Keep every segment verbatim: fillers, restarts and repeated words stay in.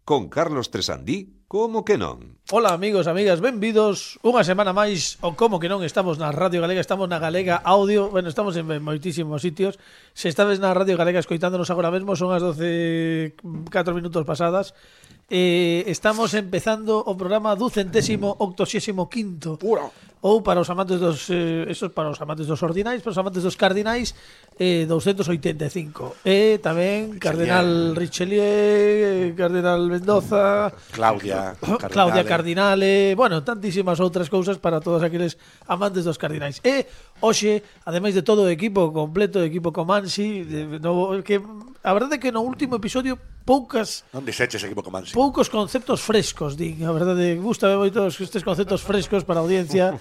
con Carlos Tresandí, como que non? Ola amigos, amigas, benvidos unha semana máis o Como que non. Estamos na Radio Galega, estamos na Galega Audio. Bueno, estamos en moitísimos sitios. Se estades na Radio Galega escoitándonos agora mesmo, son as doce e catro minutos pasadas. Eh, estamos empezando o programa ducentésimo octosésimo quinto. Pura. Ou para os amantes dos eh, esos para os amantes dos ordinais, para os amantes dos cardinais, eh, doscientos oitenta e cinco. E tamén Cardenal Richelieu, Cardenal Mendoza, Claudia Cardinale. Claudia Cardinale, bueno, tantísimas outras cousas para todos aqueles amantes dos cardinais. E hoxe, ademais de todo o equipo completo, o equipo Comansi, de, no, que a verdade é que no último episodio poucas Non dixeches equipo Comansi. poucos conceptos frescos, din. A verdade, gustame moito estes conceptos frescos para a audiencia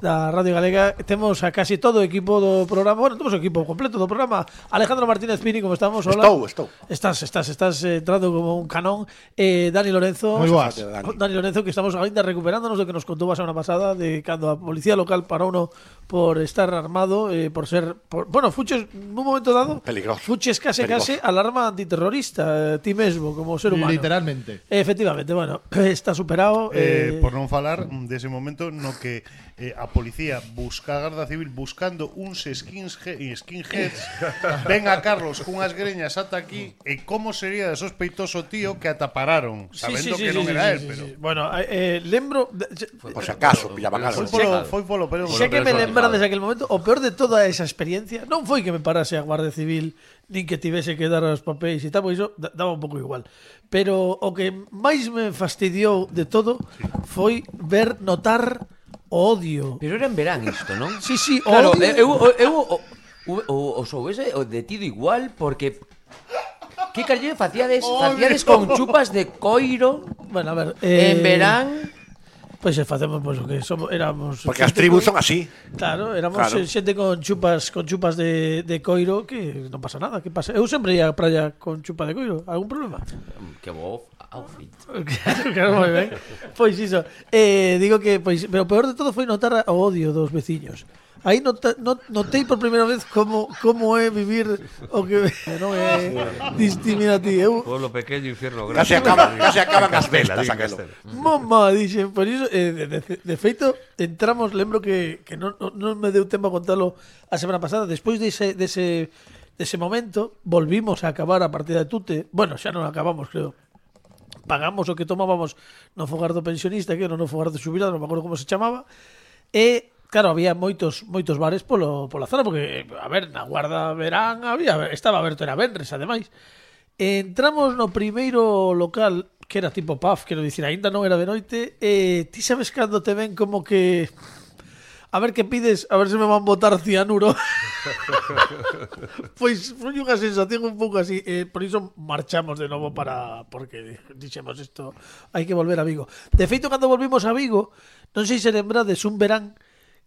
da Radio Galega. Temos a casi todo o equipo do programa. Bueno, temos o equipo completo do programa. Alejandro Martínez Pini, como estamos? Hola. Estou, estou. Estás, estás, estás eh, entrando como un canón. Eh, Dani Lorenzo. Moi boas. Dani. Dani Lorenzo, que estamos ainda recuperándonos do que nos contou a semana pasada de cando a policía local parou no por estar armado, eh, por ser por, bueno, fuches nun momento dado Peligroso. fuches case Peligroso. case alarma antiterrorista, eh, ti mesmo como ser humano. Literalmente. Efectivamente, bueno, está superado. Eh, Eh, por non falar dese momento no que eh, a policía busca a Garda Civil buscando uns skinheads, skinheads ven a Carlos cunhas greñas ata aquí e como sería de sospeitoso tío que ata pararon sabendo que non era él, pero Bueno, eh, lembro Por si acaso, pillaban algo. foi polo, foi polo pero xa que me lembrades aquel momento, o peor de toda esa experiencia non foi que me parase a Guardia Civil nin que tivese que dar os papéis e tal, porque iso daba un pouco igual. Pero o que máis me fastidiou de todo foi ver, notar o odio. Pero era en verán isto, non? Sí, sí, o Claro, odio. eu, eu, eu o, o, o soubese o detido igual porque que carlle facíades, facíades con chupas de coiro Bueno, a ver, eh, en verán. Pois pues, facemos pois, pues, o que somos, éramos Porque as tribus son así. Claro, éramos Claro. claro. xente con chupas con chupas de, de coiro que non pasa nada, que pasa? Eu sempre ia á praia con chupa de coiro, algún problema? Que bo outfit. Claro, claro, moi ben. Pois iso, eh, digo que pois, pero o peor de todo foi notar o odio dos veciños. Aí nota, not, notei por primeira vez como como é vivir o que non é discriminativo. Eu Pueblo pequeño, infierno grande. Casi acaban, casi acaban as bestas Diga aquelo. Castela. Mamá, dixen, por iso, eh, de, de, de feito, entramos, lembro que, que non, non, non me deu tempo a contalo a semana pasada, despois dese, dese, dese momento, volvimos a acabar a partida de Tute, bueno, xa non acabamos, creo, pagamos o que tomábamos no fogar do pensionista, que era no fogar do xubilado, non me acordo como se chamaba, e, claro, había moitos moitos bares polo, pola zona, porque, a ver, na Guarda Verán había, estaba aberto, era venres, ademais. Entramos no primeiro local, que era tipo pub, quero dicir, aínda non era de noite, e ti sabes cando te ven como que a ver que pides, a ver se me van botar cianuro. Pois foi unha sensación un pouco así, eh, por iso marchamos de novo para, porque dixemos isto, hai que volver a Vigo. De feito, cando volvimos a Vigo, non sei se lembrades un verán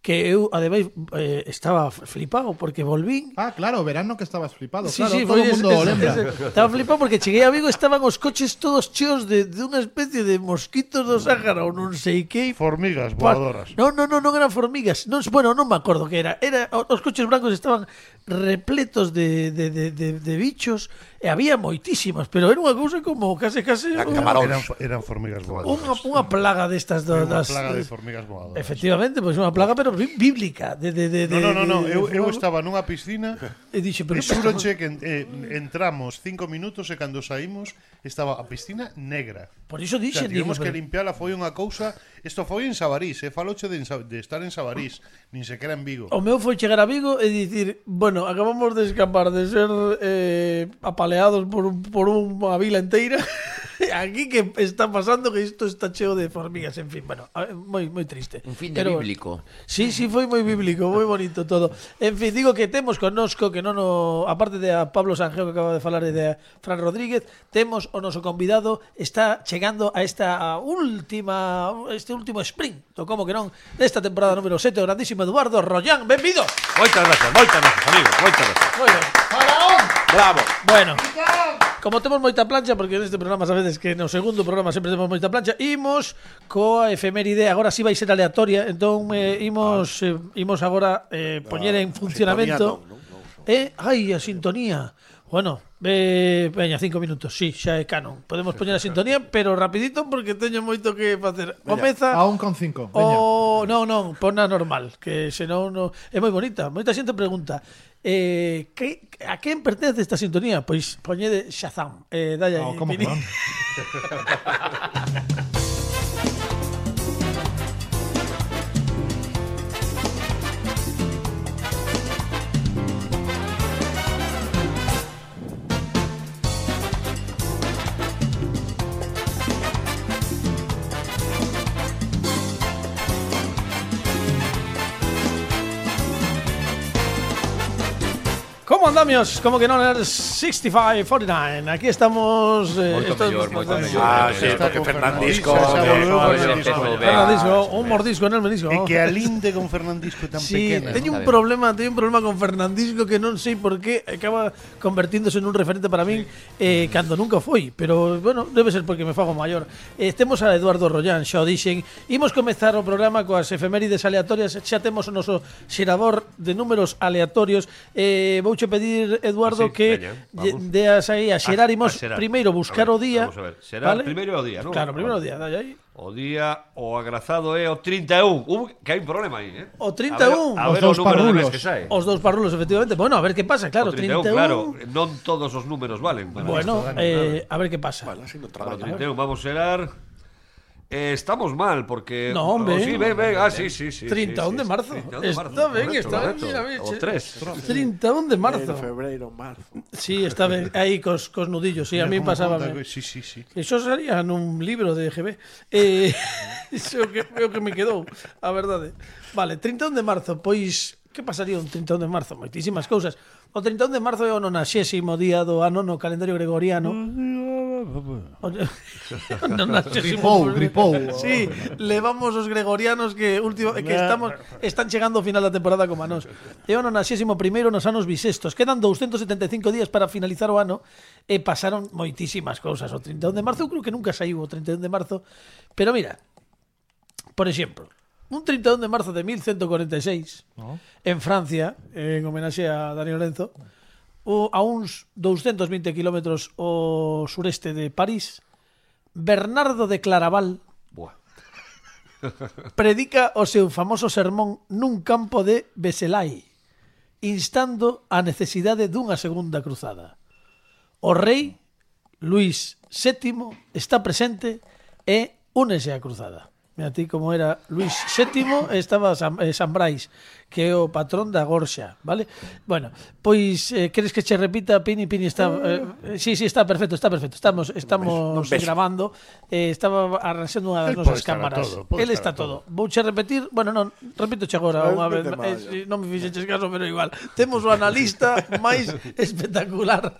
que eu, ademais, eh, estaba flipado porque volvín. Ah, claro, verano que estabas flipado, Sí, claro, sí, todo foi o mundo ese- o lembra. ese- Estaba flipado porque cheguei a Vigo, estaban os coches todos cheos de, de unha especie de mosquitos do Sáhara ou non sei que. formigas Pa- voadoras. No, no, no, non eran formigas. Non, bueno, non me acordo que era. Era os coches blancos estaban repletos de, de, de, de, de bichos e había moitísimas, pero era unha cousa como case case Eran unha, camaróns. Eran, eran formigas unha, voadoras. unha plaga destas do, Era unha das, plaga de formigas voadoras. Efectivamente, pois unha plaga pero bí- bíblica de de de No, no, no, no. de- Eu, de eu fuego. estaba nunha piscina E dixe, pero e xuroche que eh, entramos cinco minutos e cando saímos estaba a piscina negra. por iso O sea, dixen, digo, tivemos que pero- limpiala, foi unha cousa. Isto foi en Sabarís, eh, faloche de, en Sa- de estar en Sabarís, nin sequera en Vigo. O meu foi chegar a Vigo e dicir, bueno, acabamos de escapar de ser eh, apaleados por, un- por unha vila inteira. Aquí que está pasando que isto está cheo de formigas, en fin, bueno, a- moi moi triste. Un fin de Pero- bíblico. Sí, sí, foi moi bíblico, moi bonito todo. En fin, digo que temos connosco que non o, aparte de a Pablo Sanjeo que acaba de falar e de a Fran Rodríguez, temos o noso convidado, está chegando a esta última este último sprint, do como que non, desta temporada número sete, o grandísimo Eduardo Rollán, benvido. Moitas gracias, moitas gracias, amigo, moitas gracias. Moi ben. Bravo. Bueno, como temos moita plancha, porque neste programa sabedes que no segundo programa sempre temos moita plancha, imos coa efeméride, agora si vai ser aleatoria, entón eh, imos eh, imos agora eh, poñer en funcionamento sintonía non, non, non. eh, ai, a sintonía. Bueno, eh, veña, cinco minutos, sí, xa é canon. Podemos poñer a sintonía, pero rapidito porque teño moito que facer. Comeza A un con cinco. Veña. o non, non, pon a normal, que senón no é moi bonita. Moita xente pregunta, eh, que, a quen pertence esta sintonía? Pois poñede Shazam. Eh, dai aí, No, como que Pini. non? Como andamios? Como que non er sesenta e cinco cuarenta e nove. Aquí estamos eh, Moito estos- mellor, moito mellor. Ah, moito sí, mellor. porque Fernandisco. Xa eh, volveu eh, Fernandisco. eh, Fernandisco, un mordisco en el menisco. E que alinde con Fernandisco tan Sí, pequena. teño ¿no? un problema, teño un problema con Fernandisco que non sei por qué acaba convertíndose en un referente para min eh, cando nunca foi, pero bueno, debe ser porque me fago maior. Eh, temos a Eduardo Rollán, xa o dixen. Imos comezar o programa coas efemérides aleatorias, xa temos o noso xerador de números aleatorios. Eh, vouche pedir, Eduardo, Ah, sí, que veña, lle- vamos. deas aí a xerar. A- Imos a xerar. primeiro buscar A o ver, día. vamos a ver. Xerar ¿vale? primeiro o día, non? Claro, primeiro o Vale. día, dai aí. O día, o agrazado é o trinta e un. Uh, que hai un problema aí, eh? O trinta e un. A Os ver, a ver dous o número de parrulos. mes que sae. Os dous parrulos, efectivamente. Bueno, a ver que pasa, claro, O trinta e un, trinta e un. claro, non todos os números valen. para Bueno, isto. eh, a ver que pasa. Bueno, así no O traballo. trinta e un, vamos a xerar. Eh, estamos mal porque No, hombre. Oh, sí, ven, ven, ah, sí, sí, sí. trinta e un sí, de sí, marzo. trinta e un de marzo, Está ben, correcto, está ben, correcto. mira, veche. O tres. trinta e un de marzo. Febreiro, marzo. Sí, está ben. Aí cos, cos nudillos, sí, a mí pasaba. Sí, sí, sí. Eso salía nun libro de G B. Eh, iso que é o que me quedou, a verdade. Vale, trinta e un de marzo, pois que pasaría un trinta e un de marzo? Moitísimas cousas. O trinta e un de marzo é o nonaxésimo día do ano no calendario gregoriano. O Gripou, gripou. Sí, levamos os gregorianos que último que estamos están chegando ao final da temporada como a nós. É o nonaxésimo primeiro nos anos bisestos. Quedan doscientos setenta e cinco días para finalizar o ano e pasaron moitísimas cousas. O trinta e un de marzo, eu creo que nunca saiu o trinta e un de marzo. Pero mira, por exemplo, un trinta e un de marzo de mil ciento cuarenta e seis en Francia, en homenaxe a Dani Lorenzo, o, a uns doscientos veinte kilómetros ao sureste de París, Bernardo de Claraval Buah. predica o seu famoso sermón nun campo de Beselai, instando a necesidade dunha segunda cruzada. O rei Luís sétimo está presente e únese á cruzada. Mira ti como era Luís sétimo, estaba San, eh, San Brais, que é o patrón da Gorxa, vale? Bueno, pois eh, queres que che repita? Pini, Pini está eh, sí, sí, está perfecto, está perfecto. Estamos estamos Non ves. grabando. Eh, estaba arranxando unha das El nosas pode estar a cámaras. todo, pode El estar está a todo. Vouche repetir, bueno, non, repítoche agora unha vez, Repite máis. eh, non me fixeches caso, pero igual. Temos o analista máis espectacular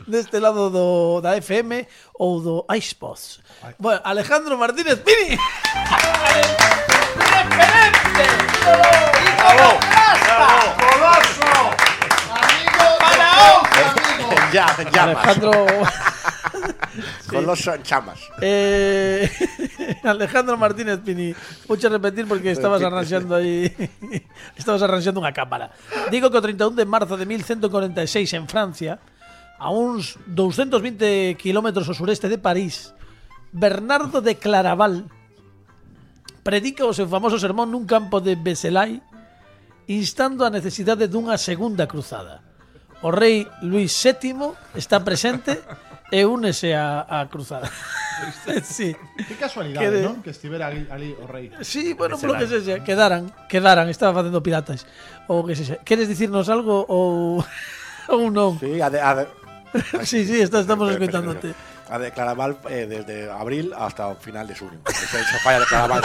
deste lado do da F M ou do iSpots. Bueno, Alejandro Martínez Pini. Ya, en llamas. Alejandro Coloso en chamas. eh, Alejandro Martínez Pini. Vouche repetir porque estabas arranxando aí estabas arranxando unha cámara. Digo que o trinta e un de marzo de mil ciento cuarenta e seis en Francia, a uns doscientos veinte kilómetros ao sureste de París, Bernardo de Claraval predica o seu famoso sermón nun campo de Beselai, instando a necesidade dunha segunda cruzada. O rei Luís sétimo está presente e únese á, á cruzada. Sí. Que casualidade, Que de- non? Que estivera ali, ali o rei. Sí, bueno, polo que sexa, quedaran, quedaran, estaba facendo piratas. Ou que sexa. Queres dicirnos algo ou ou non? Sí, a de, a de, Sí, sí, está, estamos escoitándote. a de Claraval eh, desde abril hasta o final de junio. Se, se falla de Claraval.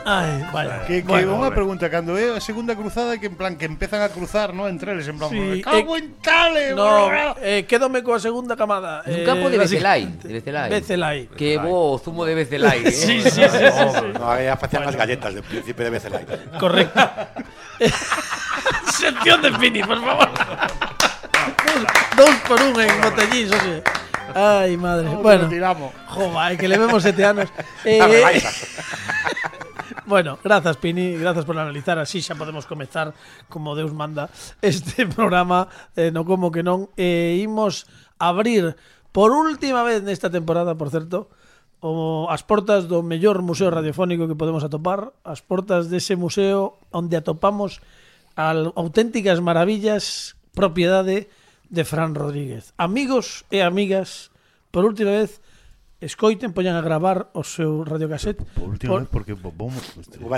Ai, vaya. Que, que Bueno, unha pregunta, cando é a segunda cruzada que en plan que empezan a cruzar, ¿no? Entre eles en plan, Sí, me cago eh, en tale. No, brr. eh, quédome coa segunda camada. Un eh, campo de Becelai, básicamente. de Becelai. Becelai. Que bo o zumo de Becelai, eh. Sí, sí, sí, sí, sí. No, ahí facían las galletas del príncipe de Becelay. Correcto. Sección de Pini, por favor. dos, dos por un en botellín, oye. Ai, madre. Como Bueno, que lo tiramos. jova, é que le vemos sete anos. Eh, Dame baixas. Bueno, grazas, Pini, grazas por analizar. Así xa podemos comezar, como Deus manda, este programa eh, no como que non. E eh, imos abrir por última vez nesta temporada, por certo, o, as portas do mellor museo radiofónico que podemos atopar, as portas dese museo onde atopamos al, auténticas maravillas propiedade de Fran Rodríguez. Amigos e amigas, por última vez, escoiten, poñan a gravar o seu radiocassette. Por última vez, porque vamos...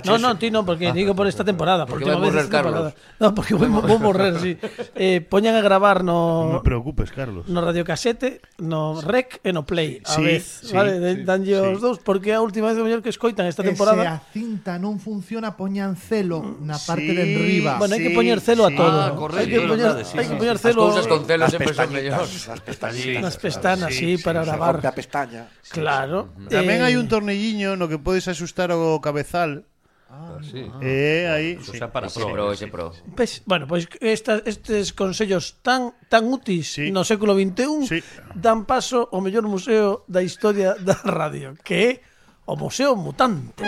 No, no, ti non, porque digo por esta temporada. Por Porque vai última vez morrer esta temporada. Carlos. No, porque vou, vou morrer, sí. Eh, poñan a gravar Non no... me preocupes, Carlos. no radiocassete, no rec e no play a Sí, vez, sí, vale? sí, Danlle sí. os dous, porque é a última vez o mellor que escoitan esta E se temporada. a cinta non funciona, poñan celo na parte Sí. de enriba. Bueno, hai que Sí, poñer celo a sí. todo. Ah, ¿no? correcto, Hai que é poñer, verdade, sí, hai sí, que poñer As celo cousas con celos Las sempre son mellores. pestañitas, las pestañitas. nas pestanas, sí, Sí, para sí, Se gravar. rompe a pestaña. Claro. Tamén Eh, hai un tornilliño no que podes axustar o cabezal. Ah, sí. E aí... Eso sí. xa para Ese pro. pro, eh, ese sí. pro. Pues, bueno, pois pues estas, estes consellos tan tan úteis Sí. no século vinte e un Sí. dan paso ao mellor museo da historia da radio, que é o Museo Mutante.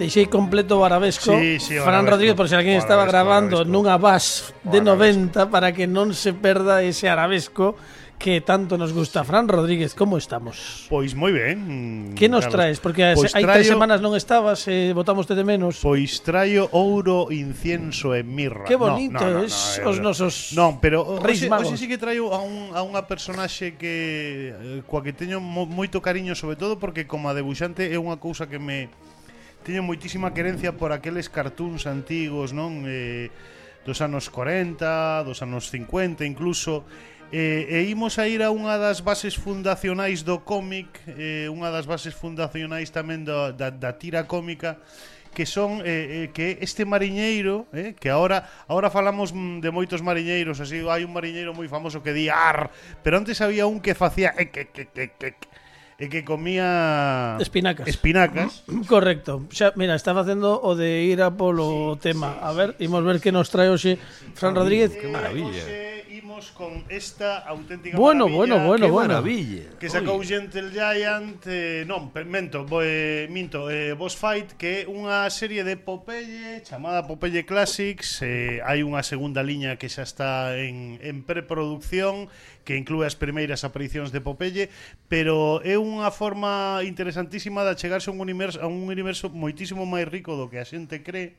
Deixei completo o arabesco. Sí, sí, o Fran arabesco. Rodríguez, por si alguén O estaba arabesco, grabando o arabesco. nunha base de O noventa para que non se perda ese arabesco que tanto nos gusta. Fran Rodríguez, como estamos? Pois moi ben. Que nos Carlos. traes? Porque Pois hai tres traio- semanas non estabas e botamoste de menos. Pois traio ouro, incienso e mirra. Que No, bonito, no, no, es no, os eh, nosos Non, pero o- Reis hoxe, Magos. hoxe sí que traio a, un, a unha personaxe que eh, coa que teño mo, moito cariño, sobre todo porque como a debuxante é unha cousa que me teño moitísima querencia por aqueles cartoons antigos, non? Eh, dos anos corenta, dos anos cincuenta incluso. E, e imos a ir a unha das bases fundacionais do cómic, eh, unha das bases fundacionais tamén do, da, da tira cómica, que son eh, eh, que este mariñeiro, eh, que ahora ahora falamos mm, de moitos mariñeiros, así hai un mariñeiro moi famoso que di ar, pero antes había un que facía e que que que que e que comía espinacas. espinacas. Correcto. Xa, mira, estaba facendo o de ir a polo tema. A ver, imos ver que nos trae hoxe Fran Rodríguez. Qué maravilla. Eh, imos con esta auténtica Bueno, maravilla bueno, bueno, Qué bueno. maravilla. que sacou Gentle Giant, eh, non, per- mento, bo, eh, minto, eh, Boss Fight, que é unha serie de Popeye chamada Popeye Classics. Eh, hai unha segunda liña que xa está en, en preproducción, que inclúe as primeiras aparicións de Popeye, pero é unha forma interesantísima de achegarse a un universo, a un universo moitísimo máis rico do que a xente cree,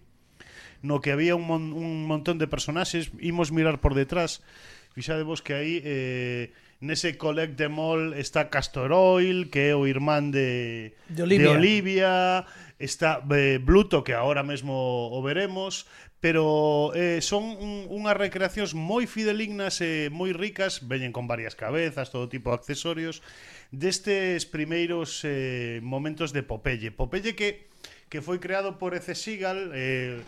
no que había un, mon, un montón de personaxes. Imos mirar por detrás. Fixadevos que aí eh, nese Collect Them All está Castor Oil, que é o irmán de, De Olivia. de Olivia. Está eh, Bluto, que ahora mesmo o veremos. Pero eh, son un, unhas recreacións moi fidelignas e moi ricas. Veñen con varias cabezas, todo tipo de accesorios, destes primeiros eh, momentos de Popeye. Popeye que, que foi creado por E C. Seagal, eh,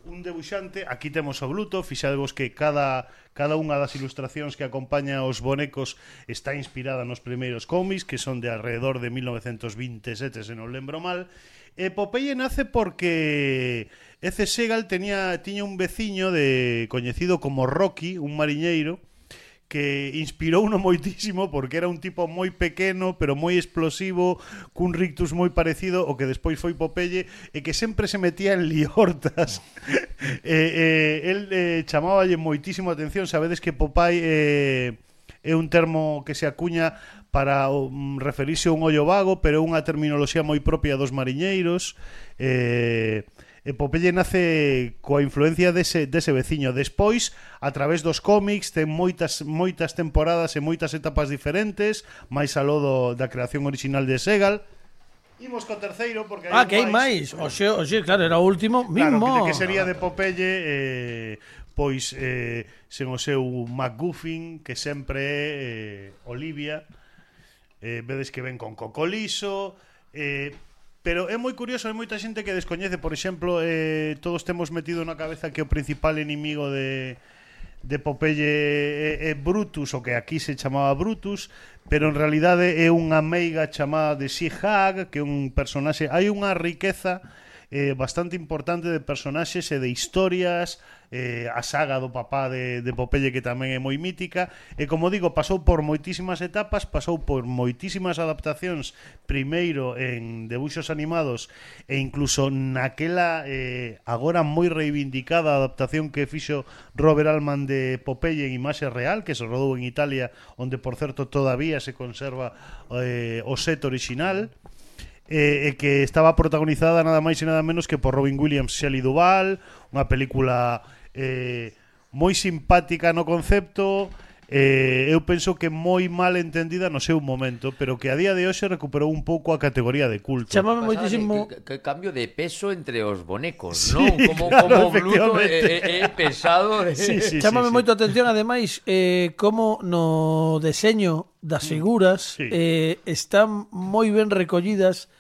un debuxante. Aquí temos o Bluto. Fixadevos que cada, cada unha das ilustracións que acompaña os bonecos está inspirada nos primeiros cómics, que son de alrededor de mil novecientos veintisiete, se non lembro mal. E Popeye nace porque E C. Seagal tenía, tiña un veciño de coñecido como Rocky, un mariñeiro, que inspirou uno moitísimo porque era un tipo moi pequeno pero moi explosivo, cun rictus moi parecido ao que despois foi Popeye, e que sempre se metía en liortas. e, e, el eh, chamáballe moitísimo a atención. Sabedes que Popeye eh, é un termo que se acuña para um, referirse a un ollo vago, pero é unha terminoloxía moi propia dos mariñeiros. eh, E Popeye nace coa influencia dese, dese veciño. Despois, a través dos cómics, ten moitas moitas temporadas e moitas etapas diferentes, máis aló do, da creación original de Seagal. Imos co terceiro, porque Ah, que hai máis. Oxe, oxe, claro, era o último Claro, mismo. que, que sería de Popeye, eh, pois eh, sen o seu MacGuffin, que sempre é eh, Olivia. Eh, vedes que ven con Cocoliso. Eh, pero é moi curioso, hai moita xente que descoñece, por exemplo, eh, todos temos metido na cabeza que o principal inimigo de de Popeye é, é Brutus, o que aquí se chamaba Brutus, pero en realidade é unha meiga chamada de Sea-Hag, que é un personaxe. Hai unha riqueza eh, bastante importante de personaxes e de historias, eh, a saga do papá de, de Popeye que tamén é moi mítica, e como digo, pasou por moitísimas etapas, pasou por moitísimas adaptacións, primeiro en debuxos animados e incluso naquela eh, agora moi reivindicada adaptación que fixo Robert Altman de Popeye en imaxe real, que se rodou en Italia, onde por certo todavía se conserva eh, o set original, e eh, que estaba protagonizada nada máis e nada menos que por Robin Williams e Shelley Duvall, unha película eh, moi simpática no concepto, eh, eu penso que moi mal entendida no seu momento, pero que a día de hoxe recuperou un pouco a categoría de culto. Chamame Pasaba moitísimo... Que, que, que cambio de peso entre os bonecos, Sí, non? Como, claro, como Bluto é, efectivamente. é, é pesado. Sí, sí, Chámame sí, moito sí. a atención, ademais, eh, como no deseño das figuras Sí. eh, están moi ben recollidas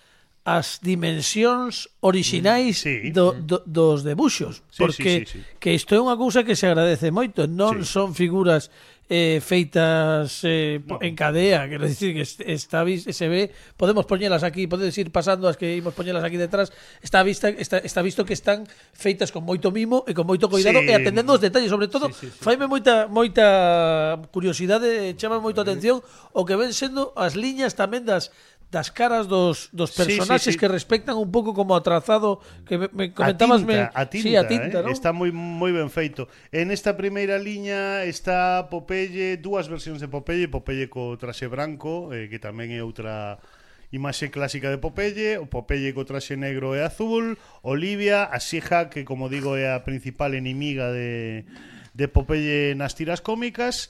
as dimensións orixinais Sí. do, do, dos debuxos, Sí, porque sí, sí, sí. que isto é unha cousa que se agradece moito, non Sí. son figuras eh, feitas eh, No. en cadea, quero dicir que est- está vis- se ve, podemos poñelas aquí, podedes ir pasando as que imos poñelas aquí detrás, está vista está, está visto que están feitas con moito mimo e con moito cuidado Sí. e atendendo os detalles, sobre todo, sí, sí, sí. faime moita moita curiosidade, chama moita atención o que ven sendo as liñas tamén das das caras dos, dos Sí, personaxes sí, sí. que respectan un pouco como o trazado que me, me A comentabas tinta, me, a tinta, sí, a tinta, eh? ¿no? Está moi moi ben feito. En esta primeira liña está Popeye, dúas versións de Popeye, Popeye co traxe branco, eh, que tamén é outra imaxe clásica de Popeye, o Popeye co traxe negro e azul, Olivia, a She-Ra, que como digo é a principal enemiga de, de Popeye nas tiras cómicas,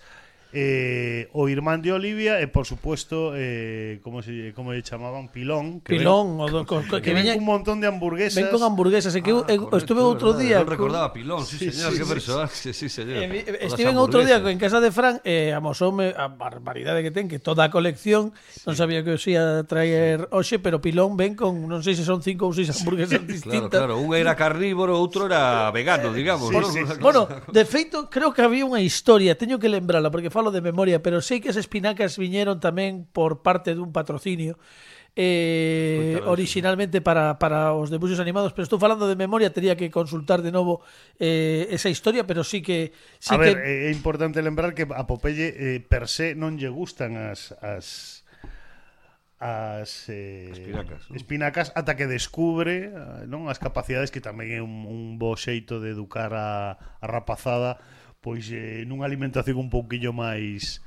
eh, o irmán de Olivia e por supuesto eh, como se como lle chamaban Pilón, que Pilón, o do, co, co, ven, que que ven viña, un montón de hamburguesas. ven con hamburguesas, e que eu, Ah, eu correcto, estuve é outro verdade, día non recordaba Pilón, sí, Sí, señor, sí, que sí. personaxe, sí, señor. Eh, vi- Todas Estiven as outro día hamburguesas. en casa de Fran e eh, amosoume a barbaridade que ten, que toda a colección non sabía que os ia traer hoxe, pero Pilón ven con non sei se son cinco ou seis hamburguesas Claro, distintas. claro, un era carnívoro, outro era vegano, digamos, Sí, ¿no? sí. Bueno, de feito, creo que había unha historia, teño que lembrala porque falo de memoria, pero sei que as espinacas viñeron tamén por parte dun patrocinio eh, Coitado, originalmente para, para os debuxos animados, pero estou falando de memoria, tería que consultar de novo eh, esa historia, pero sí que sí A ver, que é importante lembrar que a Popeye eh, per se non lle gustan as as as eh, Espinacas, non? espinacas ata que descubre eh, non as capacidades, que tamén é un, un bo xeito de educar a, a rapazada, pois eh, nunha alimentación un pouquiño máis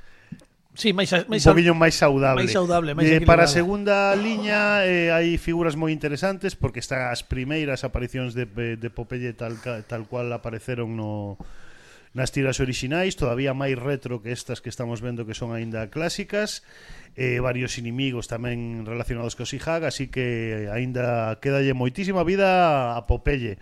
sí, máis, máis un poquinho máis saudable. máis saudable, máis Eh, para a equilibrada. segunda liña eh, hai figuras moi interesantes porque están as primeiras aparicións de, de Popeye tal, ca- tal cual apareceron no nas tiras orixinais, todavía máis retro que estas que estamos vendo que son aínda clásicas, eh, varios inimigos tamén relacionados co She-Ra, así que aínda quedalle moitísima vida a Popeye.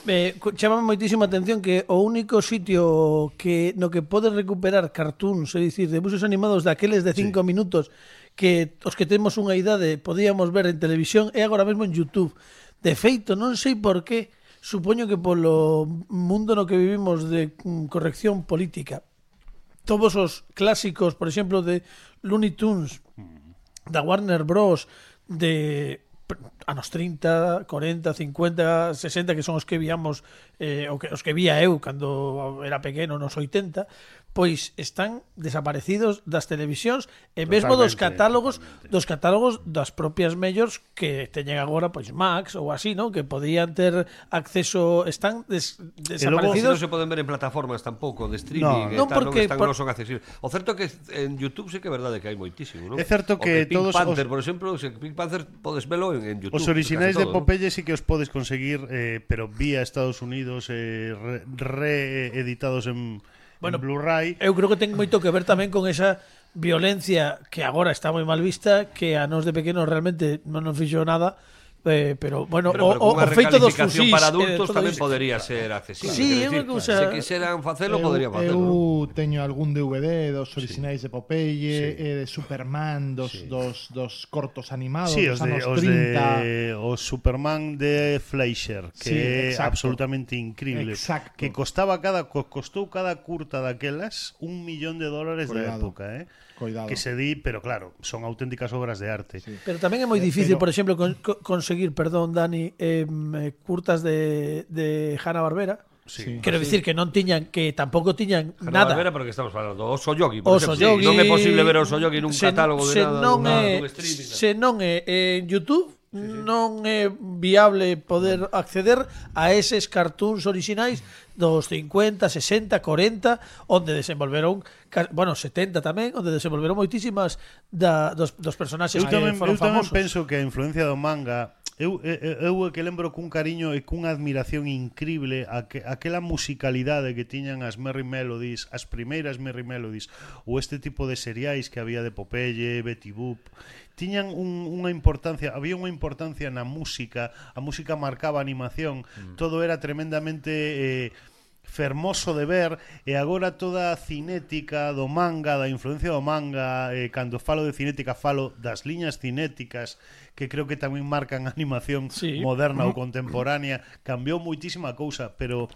Eh, co- chamame moitísima atención que o único sitio que no que podes recuperar cartoons, é dicir, debuxos animados daqueles de cinco sí. minutos que os que temos unha idade podíamos ver en televisión é agora mesmo en YouTube. De feito, non sei por qué, supoño que polo mundo no que vivimos de mm, corrección política, todos os clásicos, por exemplo, de Looney Tunes, da Warner Bros, de anos trinta, cuarenta, cincuenta, sesenta, que son os que víamos eh, o que, os que vía eu cando era pequeno nos oitenta, pois están desaparecidos das televisións e mesmo dos Totalmente, catálogos totalmente. dos catálogos das propias mellors que teñen agora pois Max ou así, non? Que podían ter acceso, están des, Si desaparecidos. non se poden ver en plataformas tampouco de streaming, No, e non, tal, porque non, están, por- non son accesibles. O certo é que en YouTube sí que é verdade que hai moitísimo, non? É certo O que Pink todos Panther, os- por exemplo, se Pink Panther podes velo en, en YouTube. Os orixinais casi de todo, Popeye sí que os podes conseguir, eh, pero vía Estados Unidos, eh, re- reeditados en, Bueno, en Blu-ray. Eu creo que ten moito que ver tamén con esa violencia que agora está moi mal vista, que a nos de pequenos realmente non nos fixo nada, eh, pero bueno, Pero, pero o, o, unha o feito dos recalificación fusís para eh, adultos todo tamén iso. podería ser accesible. Sí, quero é unha dicir, cousa- Se quixeran facelo, eu, poderían facelo. eu non? teño algún D V D dos orixinais de Popeye, Sí. e de Superman, dos, Sí. dos, dos cortos animados Sí, dos os de, anos os trinta. de os Superman de Fleischer, que Sí, é exacto. absolutamente increíble. Exacto. Que costaba cada co- costou cada curta daquelas un millón de dólares da Cuidado. época, eh? Coidado. que se di, pero claro, son auténticas obras de arte. Sí. Pero tamén é moi difícil, Pero- por exemplo, con, con, conseguir, perdón, Dani, eh, curtas de, de Hanna-Barbera. Sí. Quero dicir que non tiñan, que tampouco tiñan Nada. nada. Vera, porque estamos falando Oso Yogi, por Oso exemplo. Yogi, Non é posible ver Oso Yogi nun se- catálogo de se nada, non dun, é, dun streaming. se non é en YouTube, sí, sí. non é viable poder acceder a eses cartoons orixinais dos cincuenta, sesenta, cuarenta, onde desenvolveron, bueno, setenta tamén, onde desenvolveron moitísimas da, dos, dos personaxes Eu que tamén, foron eu tamén famosos. penso que a influencia do manga eu, eu, eu é que lembro cun cariño e cunha admiración increíble a que, aquela musicalidade que tiñan as Merry Melodies, as primeiras Merry Melodies, ou este tipo de seriais que había de Popeye, Betty Boop, tiñan un, unha importancia, había unha importancia na música, a música marcaba a animación, mm. todo era tremendamente eh, fermoso de ver, e agora toda a cinética do manga, da influencia do manga, eh, cando falo de cinética falo das liñas cinéticas que creo que tamén marcan a animación Sí. moderna ou contemporánea, cambiou moitísima cousa, pero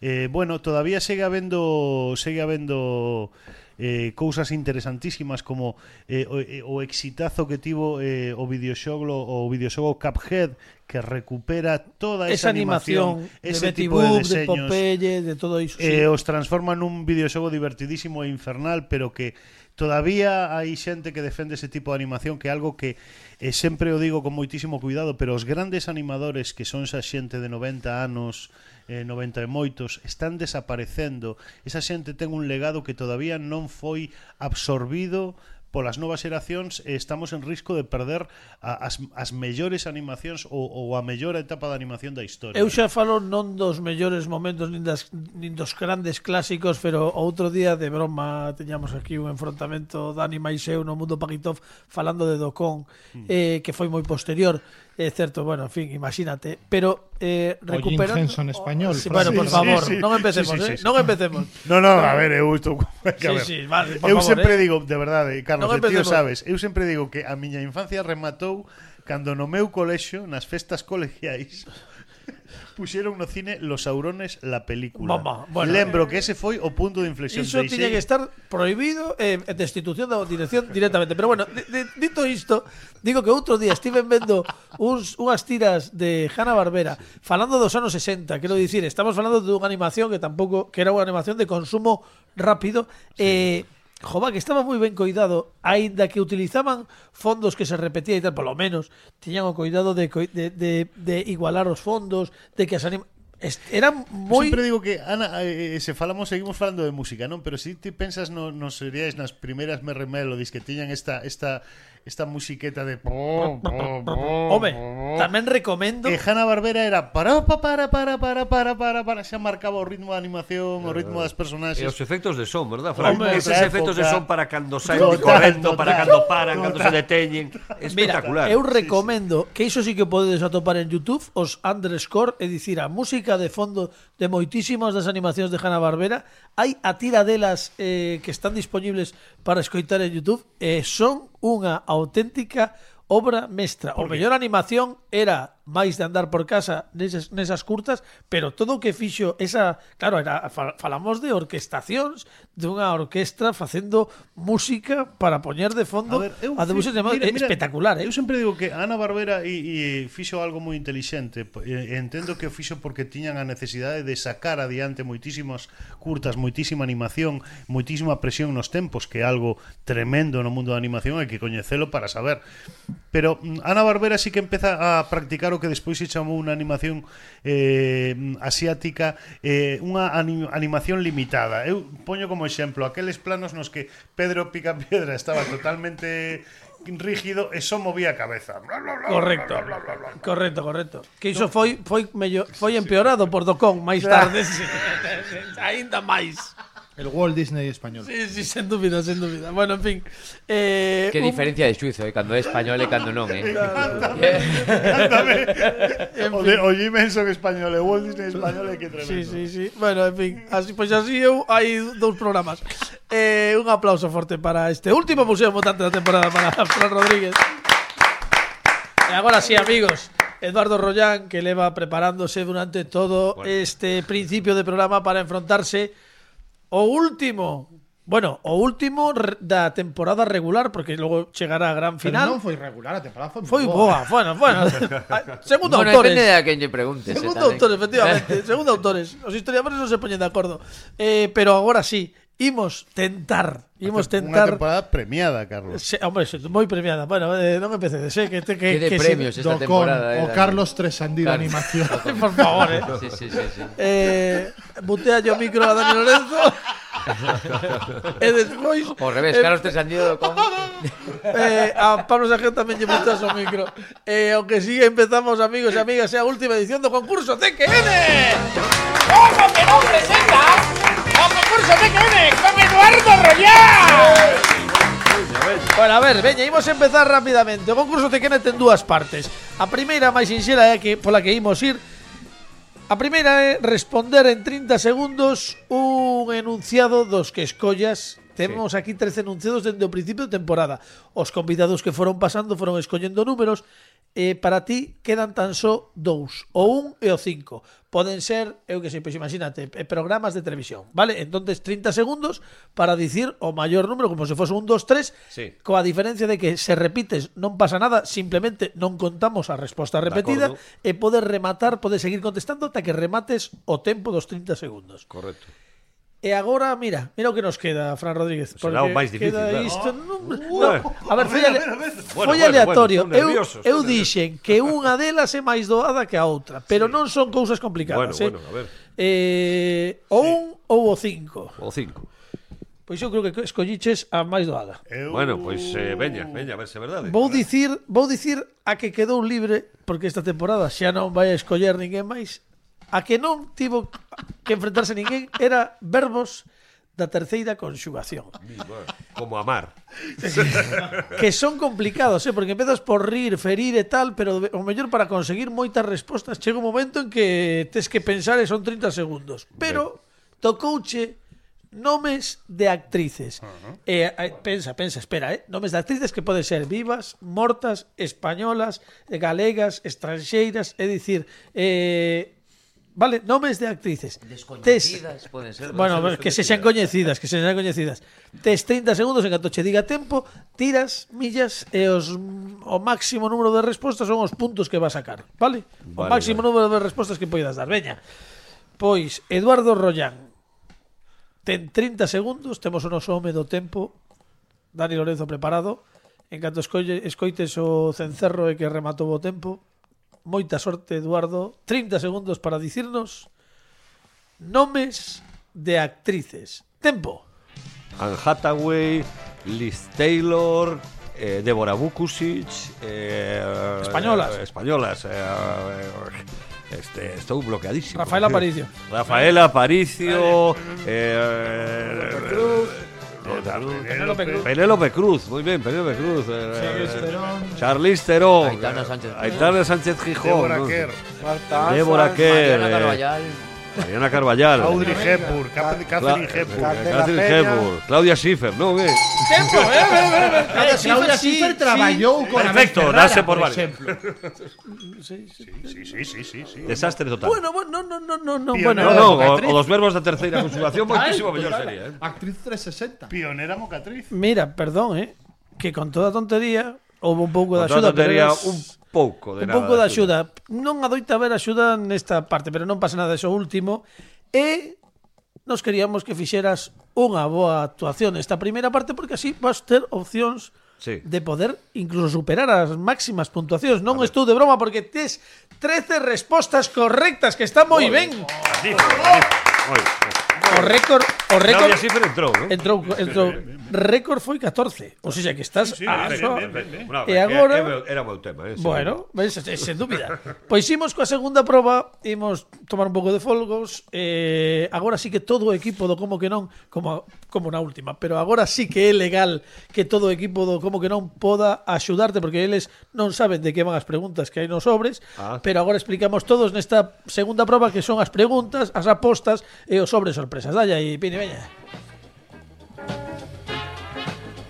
eh, bueno, todavía segue habendo segue habendo eh, cousas interesantísimas como eh, o, eh, o exitazo que tivo eh, o videoxogo o videoxogo Cuphead, que recupera toda esa, Esa animación, animación, de ese Betty tipo Boop, de de, deseños, Popeye, de todo iso. eh, Sí. os transforma nun videoxogo divertidísimo e infernal, pero que todavía hai xente que defende ese tipo de animación, que é algo que eh, sempre o digo con moitísimo cuidado, pero os grandes animadores que son esa xente de noventa anos, eh, noventa e moitos, están desaparecendo. Esa xente ten un legado que todavía non foi absorbido polas novas xeracións, e estamos en risco de perder a, as, as mellores animacións ou, ou a mellor etapa de animación da historia. Eu xa falo non dos mellores momentos nin, das, nin dos grandes clásicos, pero outro día de broma teñamos aquí un enfrontamento Dani máis eu no Mundo Paquitov falando de Dokkan, mm. eh, que foi moi posterior. É certo, bueno, en fin, imagínate, pero eh, recuperando... O Jim Henson español. Sí, bueno, por Sí, favor, sí, sí. non empecemos, Sí, sí, eh, sí. non empecemos. No, no, a ver, eu estou que a ver. Sí, sí, vale, por Eu favor, sempre eh. digo, de verdade, Carlos, Non e tío empecemos. sabes, eu sempre digo que a miña infancia rematou cando no meu colexio, nas festas colegiais, puxeron no cine Los Saurones la película. Mamá, bueno, Lembro que ese foi o punto de inflexión. Iso Deixei- tiña que estar prohibido eh, destitución da dirección directamente. Pero bueno, de, de, dito isto, digo que outro día estiven vendo uns, unhas tiras de Hanna-Barbera falando dos anos sesenta, quero dicir, estamos falando dunha animación que tampouco, que era unha animación de consumo rápido, sí. eh, Jova, que estaba moi ben coidado, aínda que utilizaban fondos que se repetía e tal, polo menos tiñan o coidado de, coi- de, de, de igualar os fondos, de que as anima... Est- eran Eu moi... sempre digo que Ana, eh, se falamos seguimos falando de música, non? Pero se si ti pensas no, nos seríais nas primeiras Merry Melodies que tiñan esta esta esta musiqueta de Home, tamén recomendo... E Hanna-Barbera era para para para para para para para para xa marcaba o ritmo da animación, o ritmo das E personaxes. os efectos de son, verdad, Fran? Hombre, Eses esa efectos de época. son para cando saen Total, correcto, para total. cando paran, cando se deteñen. Espectacular. Mira, eu recomendo que iso sí que podedes atopar en YouTube, os underscore, é dicir, a música de fondo de moitísimas das animacións de Hanna-Barbera. Hai a tira delas eh, que están disponibles para escoitar en YouTube e son unha auténtica obra mestra. O mellor animación era máis de andar por casa nesas, nesas curtas, pero todo o que fixo esa, claro, era, falamos de orquestacións dunha orquestra facendo música para poñer de fondo A ver, eu a de fi- música mira, é mira, espectacular, eh? Eu sempre digo que Ana Barbera e, e fixo algo moi intelixente. E, entendo que o fixo porque tiñan a necesidade de sacar adiante moitísimas curtas, moitísima animación, moitísima presión nos tempos, que é algo tremendo no mundo da animación, hai que coñecelo para saber. Pero mm, Ana Barbera sí que empeza a practicar o que despois se chamou unha animación eh, asiática, eh, unha anim, animación limitada. Eu poño como exemplo aqueles planos nos que Pedro Picapiedra estaba totalmente rígido e só movía a cabeza. Correcto. Correcto, correcto. Que iso foi foi mellor, foi empeorado por Dokkan máis tarde, sí. Ainda máis. El Walt Disney español. Sí, sí, sen dúbida, sen dúbida. Bueno, en fin. Eh, Que un- diferencia de xuizo, eh, cando é español e cando non, eh. O de o Jim Henson español e Walt Disney español é que tremendo. Sí, sí, sí. Bueno, en fin, así pois así eu hai dous programas. Eh, un aplauso forte para este último Museo Mutante da temporada para Fran Rodríguez. E agora sí, amigos, Eduardo Rollán, que leva preparándose durante todo Bueno. este principio de programa para enfrontarse o último Bueno, o último re- da temporada regular, porque logo chegará a gran Pero final. non foi regular, a temporada foi Foi boa. boa, bueno, bueno. Segundo Bueno, autores. depende de a quen lle preguntes. eh, Segundo tamén. autores, efectivamente. Segundo autores. Os historiadores non se poñen de acordo. Eh, pero agora sí, imos tentar. Imos Unha tentar. temporada premiada, Carlos. Se, hombre, se, moi premiada. Bueno, eh, non empecedes, eh, que, te, que, Que de que premios se, esta Do con temporada. o eh, Carlos Tresandí de Claro. animación. por favor, eh. Sí, sí, sí, sí. eh butea yo micro a Dani Lorenzo. E despois Ao revés, eh, Carlos Tresandido con... eh, a Pablo Sajén tamén lle botou o micro. Eh, aunque sigue empezamos, amigos e amigas, é a última edición do concurso C Q N. Como que non presentas o concurso C Q N con Eduardo Royal. Bueno, a ver, veña, imos empezar rapidamente. O concurso C Q N ten dúas partes. A primeira, máis sinxela, é que pola que imos ir. A primeira é responder en trinta segundos un enunciado dos que escollas. Temos aquí trece enunciados dende o principio de temporada. Os convidados que foron pasando foron escollendo números. E para ti quedan tan só dous, o un e o cinco. Poden ser, eu que sei, pois imagínate, eh, programas de televisión, vale? Entonces trinta segundos para dicir o maior número, como se fose un, dos, tres, Sí. coa diferencia de que se repites non pasa nada, simplemente non contamos a resposta repetida acordo. e podes rematar, podes seguir contestando ata que remates o tempo dos trinta segundos. Correcto. E agora, mira, mira o que nos queda, Fran Rodríguez. Será o porque máis difícil, queda claro. isto, non, Bueno. no, a ver, foi, ale, Bueno, foi bueno, aleatorio. bueno, estou eu nervioso, eu estou dixen que unha delas é máis doada que a outra, pero non son cousas Bueno, complicadas, eh? bueno, a ver. Eh, o un ou o cinco. O cinco. Pois eu creo que escolliches a máis doada. Eu... Bueno, pois eh, veña, veña, a ver se é verdade. Vou dicir, vou dicir a que quedou libre, porque esta temporada xa non vai a escoller ninguén máis. A que non tivo que enfrentarse ninguén era verbos da terceira conxugación. Como amar. Que son complicados, eh? Porque empezas por rir, ferir e tal, pero o mellor para conseguir moitas respostas chega un momento en que tes que pensar e son trinta segundos. Pero tocouche nomes de actrices. Uh-huh. eh, eh, pensa, pensa, espera, eh? Nomes de actrices que poden ser vivas, mortas, españolas, galegas, estranxeiras, é dicir, eh, vale, nomes de actrices. Descoñecidas, Tes, poden ser. bueno, que se sean coñecidas, que se sean coñecidas. Tes trinta segundos en canto che diga tempo, tiras millas e os o máximo número de respostas son os puntos que vas a sacar, vale? O Vale, máximo vale. número de respostas que poidas dar. Veña. Pois Eduardo Rollán ten trinta segundos, temos o noso home do tempo. Dani Lorenzo preparado. En canto escolle, escoites o cencerro e que rematou o tempo. Moita sorte, Eduardo. trinta segundos para dicirnos nomes de actrices. Tempo. Anne Hathaway, Liz Taylor, eh, Débora Vukusic, eh, Españolas. eh, españolas. eh, eh, este, estou bloqueadísimo. Rafael Aparicio. Rafael Aparicio, eh, Penélope Cruz. Penélope Cruz, muy bien, Penélope Cruz. eh, Charlize Theron. Charlize Theron. Aitana Sánchez. Aitana Sánchez Gijón. Débora ¿no? Kerr, Marta Débora Alfa, Kerr. Mariana eh, Carballal. Mariana Carballal. Audrey Hepburn, Catherine Catherine Cla- Hepburn. Candela Catherine Peña. Hepburn, Claudia Schiffer, ¿no? ¿Qué? Tempo, eh, eh, eh, eh. Claudia Schiffer, Schiffer sí, traballou con a Perfecto, Ferrara, dase por válido. exemplo. sí, sí. Sí, sí, sí, sí, sí. Desastre total. Bueno, bueno, no, no, no, no, Pionero. bueno. no, no, o, actriz. o dos verbos da terceira conjugación moitísimo mellor sería, eh. Actriz trescientos sesenta. Pionera mocatriz. Mira, perdón, eh, que con toda tontería houve un pouco de Con axuda, toda pero tontería, eras- un pouco de un nada. pouco de axuda. Non adoita haber axuda nesta parte, pero non pasa nada eso último. E nos queríamos que fixeras unha boa actuación nesta primeira parte, porque así vas ter opcións Sí. de poder incluso superar as máximas puntuacións. Non estou de broma, porque tes trece respostas correctas, que está moi ben. Magnífico, magnífico. Moi ben. O récord, o récord Claudia Schiffer entrou, ¿no? entrou, entrou. Récord foi catorce. O sea que estás a Ben, so- ben, ben, ben. Bueno, E que- agora- que era o meu tema, eh. sí. Bueno, ves, sen dúbida. Pois imos coa segunda proba, imos tomar un pouco de folgos. Eh, agora sí que todo o equipo do Como que non, como como na última, pero agora sí que é legal que todo o equipo do Como que non poda axudarte, porque eles non saben de que van as preguntas que hai nos sobres, Ah. pero agora explicamos todos nesta segunda proba que son as preguntas, as apostas e os sobres sorpresas. Dalle aí, Pini, veña.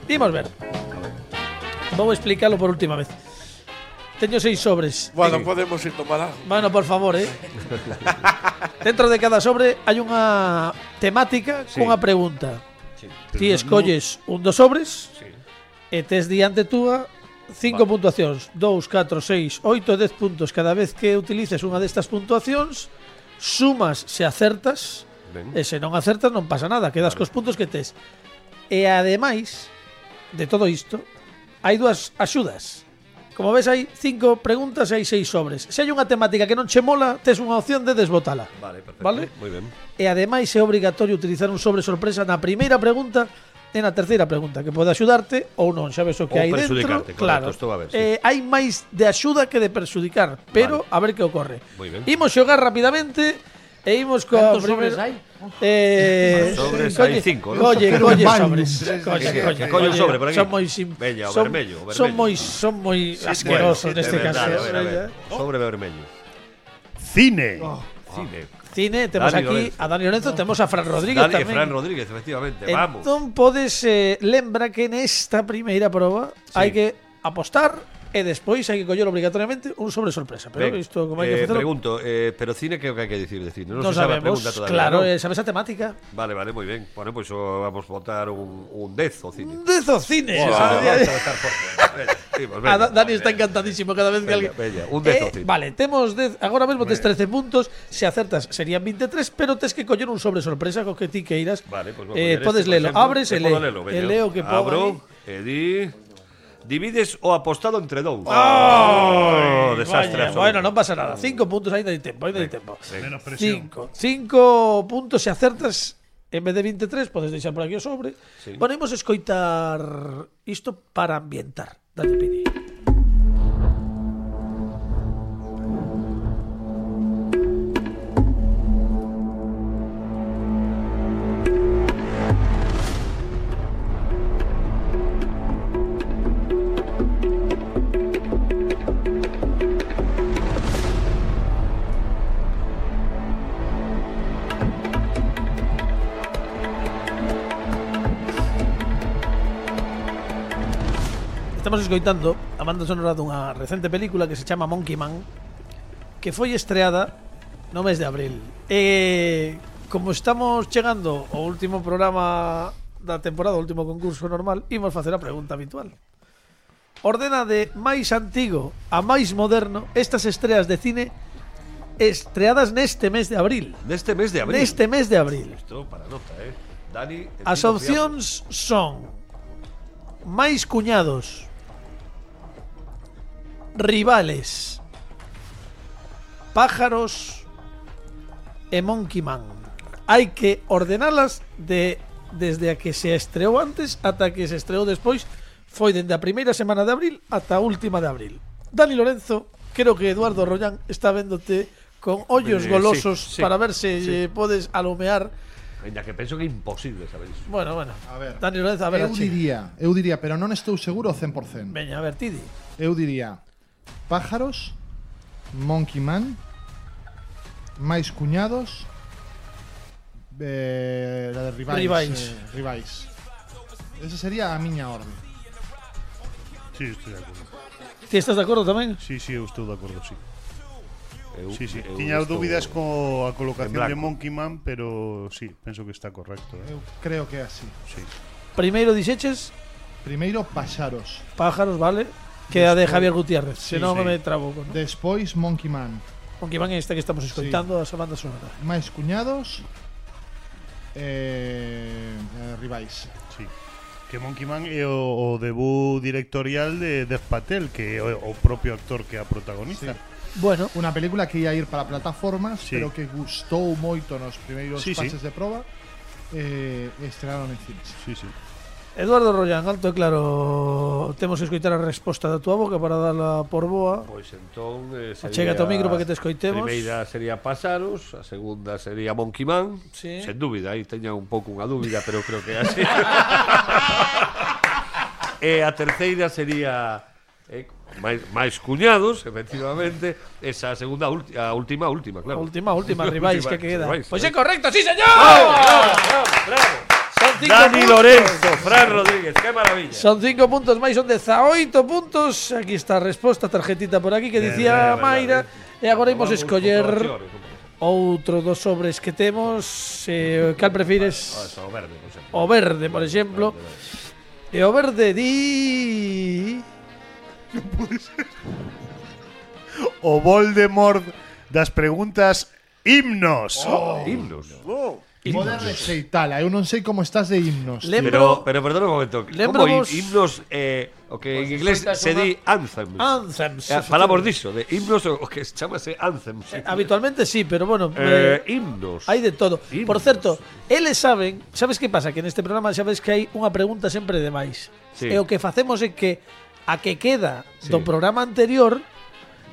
Imos ver. Vou explicarlo por última vez. Teño seis sobres. Bueno, podemos ir tomar algo. Bueno, por favor, eh. Dentro de cada sobre hai unha temática Sí. cunha pregunta. Ti escolles un dos sobres Sí. e tes diante túa cinco Vale. puntuacións, dous, catro, seis, oito, dez puntos cada vez que utilices unha destas puntuacións, sumas se acertas, Ben. e se non acertas non pasa nada, quedas Vale. cos puntos que tes. E ademais de todo isto, hai dúas axudas. Como ves, hai cinco preguntas e hai seis sobres. Se hai unha temática que non che mola, tes unha opción de desbotala. Vale, perfecto. Vale? Moi ben. E ademais é obrigatorio utilizar un sobre sorpresa na primeira pregunta e na terceira pregunta, que pode axudarte ou non, xa ves o que Ou hai dentro. perxudicarte, correcto, Claro. estou a ver, sí. Eh, hai máis de axuda que de perxudicar, pero Vale. a ver que ocorre. Moi ben. Imos xogar rapidamente e imos coa Cantos sobres primeira- hai? Eh, Sobres colle- hai cinco, non? Colle, Pero colle un baño. sobres. Sí, sí, Colle, sí. colle, Que colle un sobre por aquí. Son moi sim, Veña, o son, vermello, o Son vermello. moi son moi asquerosos De neste caso. verdade, a ver, a ver. Veña. Sobre vermello. Cine. Cine. Cine, temos Dani aquí Lorenzo. a Dani Lorenzo, temos a Fran Rodríguez Dani e tamén. Fran Rodríguez, efectivamente. Vamos. Entón podes eh, lembra que nesta primeira proba Sí. hai que apostar e despois hai que coller obrigatoriamente un sobre sorpresa. Pero Ben, isto como hai eh, que facelo, pregunto, eh, pero cine que é o que hai que dicir de cine? Non non se sabe a sabemos. pregunta todavía, Claro, ¿no? eh, sabes a temática. Vale, vale, moi ben. Bueno, pois pues, vamos votar un, un dez o cine. Dezo cine. Wow, sabe? vamos a votar por Veña, sí, pues Ah, veña, Da- Dani vale. está encantadísimo cada vez que Veña, alguén. veña, un dez ao Eh, cine. vale, temos dez, agora mesmo tes trece puntos, se acertas serían veintitrés, pero tes que coller un sobre sorpresa co que ti queiras. Vale, pues vamos eh, a podes este, por lelo, exemplo. abres E e podo le. lelo, E veña. leo que pon Abro, aí. e di... Divides o apostado entre dous. Ay, desastre vaya, absoluto. bueno, non pasa nada. Cinco puntos, ainda hai tempo, ainda hai tempo. Venga. Menos presión. Cinco. Cinco puntos se acertas en vez de veintitrés, podes deixar por aquí o sobre. Sí. Bueno, imos escoitar isto para ambientar. Dale, Pini. Estamos escoitando a banda sonora dunha recente película que se chama Monkey Man, que foi estreada no mes de abril. E como estamos chegando ao último programa da temporada, o último concurso normal, imos facer a pregunta habitual. Ordena de máis antigo a máis moderno estas estreas de cine estreadas neste mes de abril. Neste mes de abril. Neste mes de abril. Isto para nota, eh. Dani, el As tipo opcións son máis cuñados, rivales, pájaros e Monkey Man. Hai que ordenalas de desde a que se estreou antes ata que se estreou despois. Foi dende a primeira semana de abril ata a última de abril. Dani Lorenzo, creo que Eduardo Rollán está véndote con ollos Eh, golosos sí, sí, para ver se sí. eh, podes alumear. Ainda que penso que é imposible saber iso. Bueno, bueno. A ver. Dani Lorenzo, a ver, Eu ache. diría, eu diría, pero non estou seguro ao cen por cen. Veña, a ver, Tidi. Eu diría pájaros, Monkey Man, máis cuñados, eh, la de rivais. Rivais. Eh, rivais. Esa sería a miña orde. Sí, estou de acordo. Ti estás de acordo tamén? Sí, sí, eu estou de acordo, sí. Eu, Sí, sí. eu Tiña estou dúbidas co a en colocación blanco. de Monkey Man, pero sí, penso que está correcto. Eh? Eu creo que é así. Sí. Primeiro dixeches Primeiro páxaros, pájaros, vale? Que é a de Javier Gutiérrez. Sí, Se non sí. me trabo con. despois Monkey Man, Aunque van esta que estamos escoitando a banda sonora. máis cuñados, eh, eh, rivais. Sí. Que Monkey Man é o, o debut directorial de Dev Patel, que é o, o propio actor que a protagoniza. Bueno, Unha película que ia ir para plataformas, Sí. pero que gustou moito nos primeiros Sí, sí. fases de proba. Eh, estrearon en cines. Sí, sí. Eduardo Rollán, alto e claro, temos que escoitar a resposta da túa boca para darla por boa. Pois entón eh, Achégate ao micro para que te escoitemos. A primeira sería Pasaros, a segunda sería Monkey Man. Sí. Sen dúbida, aí teña un pouco unha dúbida, pero creo que é así. E a terceira sería eh, máis, máis cuñados, efectivamente. Esa segunda, ulti, a última, última, A claro. última, última, rivais que queda. Rivais, Pois é rivais. correcto, sí, señor. Son cinco Dani puntos. Lorenzo, Fran Rodríguez, qué maravilla. Son cinco puntos máis, son dezaoito puntos. Aquí está a resposta, tarjetita por aquí que Ben, dicía ben, Mayra. ben, E agora imos Vamos, escoller comprobacións, comprobacións. outro dos sobres que temos, eh, cal prefires? Ah, eso, o verde, por exemplo. O verde, por exemplo. E o verde di... O Voldemort das preguntas himnos. Himnos. Poder receitala, eu non sei como estás de himnos. Lembro... Pero, pero perdona un momento. Lembro Como vos- himnos, eh, o que en inglés resulta se unha- di anthems. Anthems. Eh, falamos diso, de himnos o que chamase anthems. Eh, Habitualmente sí, pero bueno... Eh, eh, himnos. Hai de todo. Himnos. Por certo, eles saben, sabes que pasa? Que neste programa sabes que hai unha pregunta sempre de máis. Sí. E o que facemos é que a que queda Sí. do programa anterior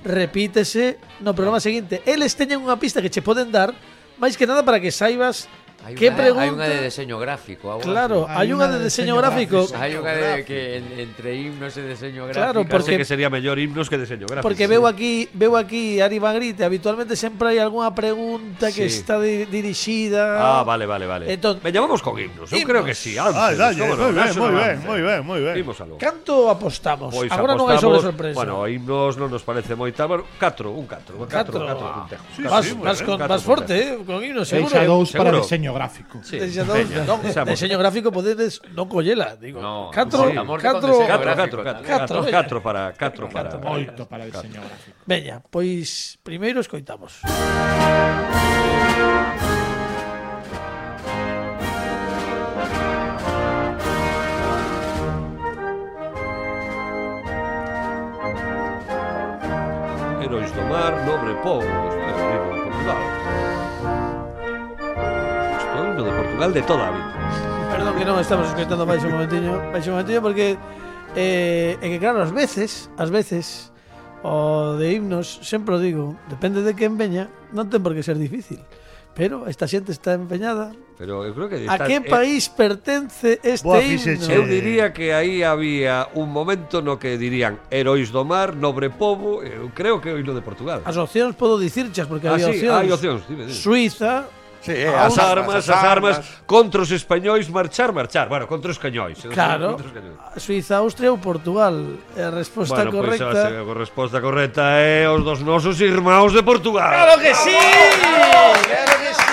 repítese no programa seguinte. Eles teñen unha pista que che poden dar, máis que nada para que saibas Hai que unha, pregunta. hai unha de deseño gráfico. algo Claro, Hai hai unha unha de de diseño diseño gráfico. gráfico. así. Hai unha de que en- entre himnos e deseño gráfico. Claro, Case porque- que sería mellor himnos que diseño gráfico. Porque veo aquí, veo aquí Ari Magrite, habitualmente sempre hai algunha pregunta que Sí. está di- dirixida. Ah, vale, vale, vale. Entón- Veña, vamos con himnos. Eu Himnos. creo que sí. Anthems, Ah, dalle, cómo moi no, ben, national moi ben, anthem. moi ben, moi ben. Imos algo. Canto apostamos? Pois Agora non hai sobre apostamos- sorpresa. Bueno, himnos non nos parece moita, bueno, catro, un catro, Catro. catro, catro puntejos. Sí, vas, sí, moi vas, ben, con, catro vas forte, puntejos. eh, con himno, seguro. Deixa dous para seguro. diseño gráfico. Sí, Deixa dous, veña, non, deixamos. deseño gráfico podedes non collela, digo. No, catro, sí, amor que catro, con deseño Catro, gráfico, catro, catro, catro, catro, veña. catro para, catro para. Moito para diseño gráfico. Veña, pois primeiro escoitamos. Heróis do mar, nobre povo. Isto é o himno de Portugal. Isto é o himno de Portugal de toda a vida. Perdón que non estamos escoitando máis un momentiño, máis un momentiño porque eh, é que claro, ás veces, ás veces o de himnos, sempre o digo, depende de quen veña, non ten por que ser difícil. Pero esta xente está empeñada. Pero eu creo que A está, que eh, país pertence este Boa himno? fixeche. Eu diría que aí había un momento no que dirían Heróis do mar, nobre povo. Eu creo que é o himno de Portugal. As opcións podo dicirchas porque Ah, había sí, opcións. hai opcións, dime, dime. Suiza, Sí, eh, As armas, as armas contra os españois marchar, marchar. Bueno, contra os cañóis. claro, Contra os cañóis. Suiza, Austria ou Portugal. E a resposta Bueno, pois correcta. a resposta correcta é os dos nosos irmãos de Portugal. ¡Claro que sí! ¡Claro que sí!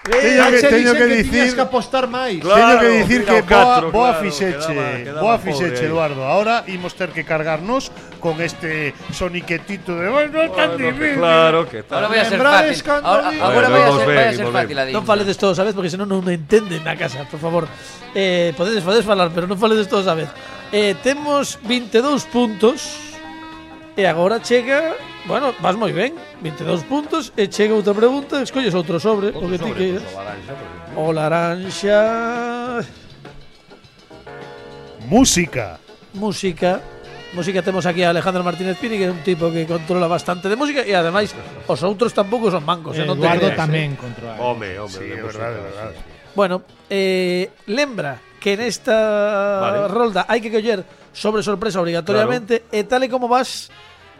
Teño Xa que, che teño dixen que que dicir tiñas que apostar máis. Claro. Teño que dicir mira que o catro, boa, boa claro, fixeche, quedaba- quedaba boa pobre fixeche, aí. Eduardo. Ahora imos ter que cargarnos con este soniquetito de "Ai, non é tan Bueno, que difícil". claro que Ahora tal. vai a ser Lembrades fácil. cando Ahora, di- agora Bueno, vai a imos ser, ben, vai a ser imos fácil a Non digna. faledes todos a vez porque senón non entenden na casa, por favor. Eh, podedes, podedes falar, pero non faledes todos a vez. Eh, temos veintidós puntos e agora chega, bueno, vas moi ben, veintidós puntos e chega outra pregunta, escolles outro sobre, o que ti Sobre, queiras. pues, o laranxa, por exemplo. O laranxa, Música. música. Música temos aquí a Alejandro Martínez Pini, que é un tipo que controla bastante de música e ademais os outros tampouco son mancos, eh, non te Eduardo creas, eh. tamén controla. Home, home, Sí, de é verdade, música, é verdade. sí, sí. Bueno, eh, lembra que nesta Vale. rolda hai que coller sobre sorpresa obrigatoriamente e tal e como vas,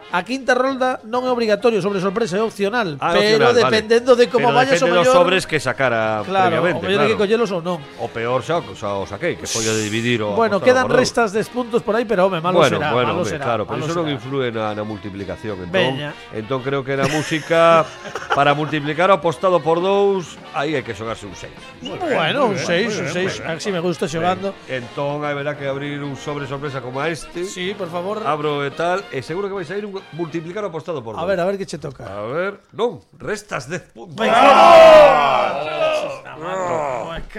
a quinta rolda non é obrigatorio, sobre sorpresa é opcional, Ah, pero opcional, vale. dependendo de como Pero vayas o depende mellor, dos sobres que sacara claro, o previamente, mellor hai que claro. collelos ou non. O peor xa, xa o saquei, que foi o de dividir o Bueno, apostado quedan por dous. restas de puntos por aí, pero home, malo bueno, será, bueno, malo home, será. claro, pero malo iso non será. influe na, na multiplicación. Entón, Veña. entón creo que na música, para multiplicar o apostado por dous, aí hai que xogarse un seis. Bueno, un muy bien, seis, un muy bien, seis, muy bien. así me gusta xogando. Entón, haberá que abrir un sobre sorpresa como a este. Sí, por favor. Abro e tal, e seguro que vais a ir un multiplicar o apostado por A dous. ver, a ver que che toca. A ver, non, restas dez puntos. Venga.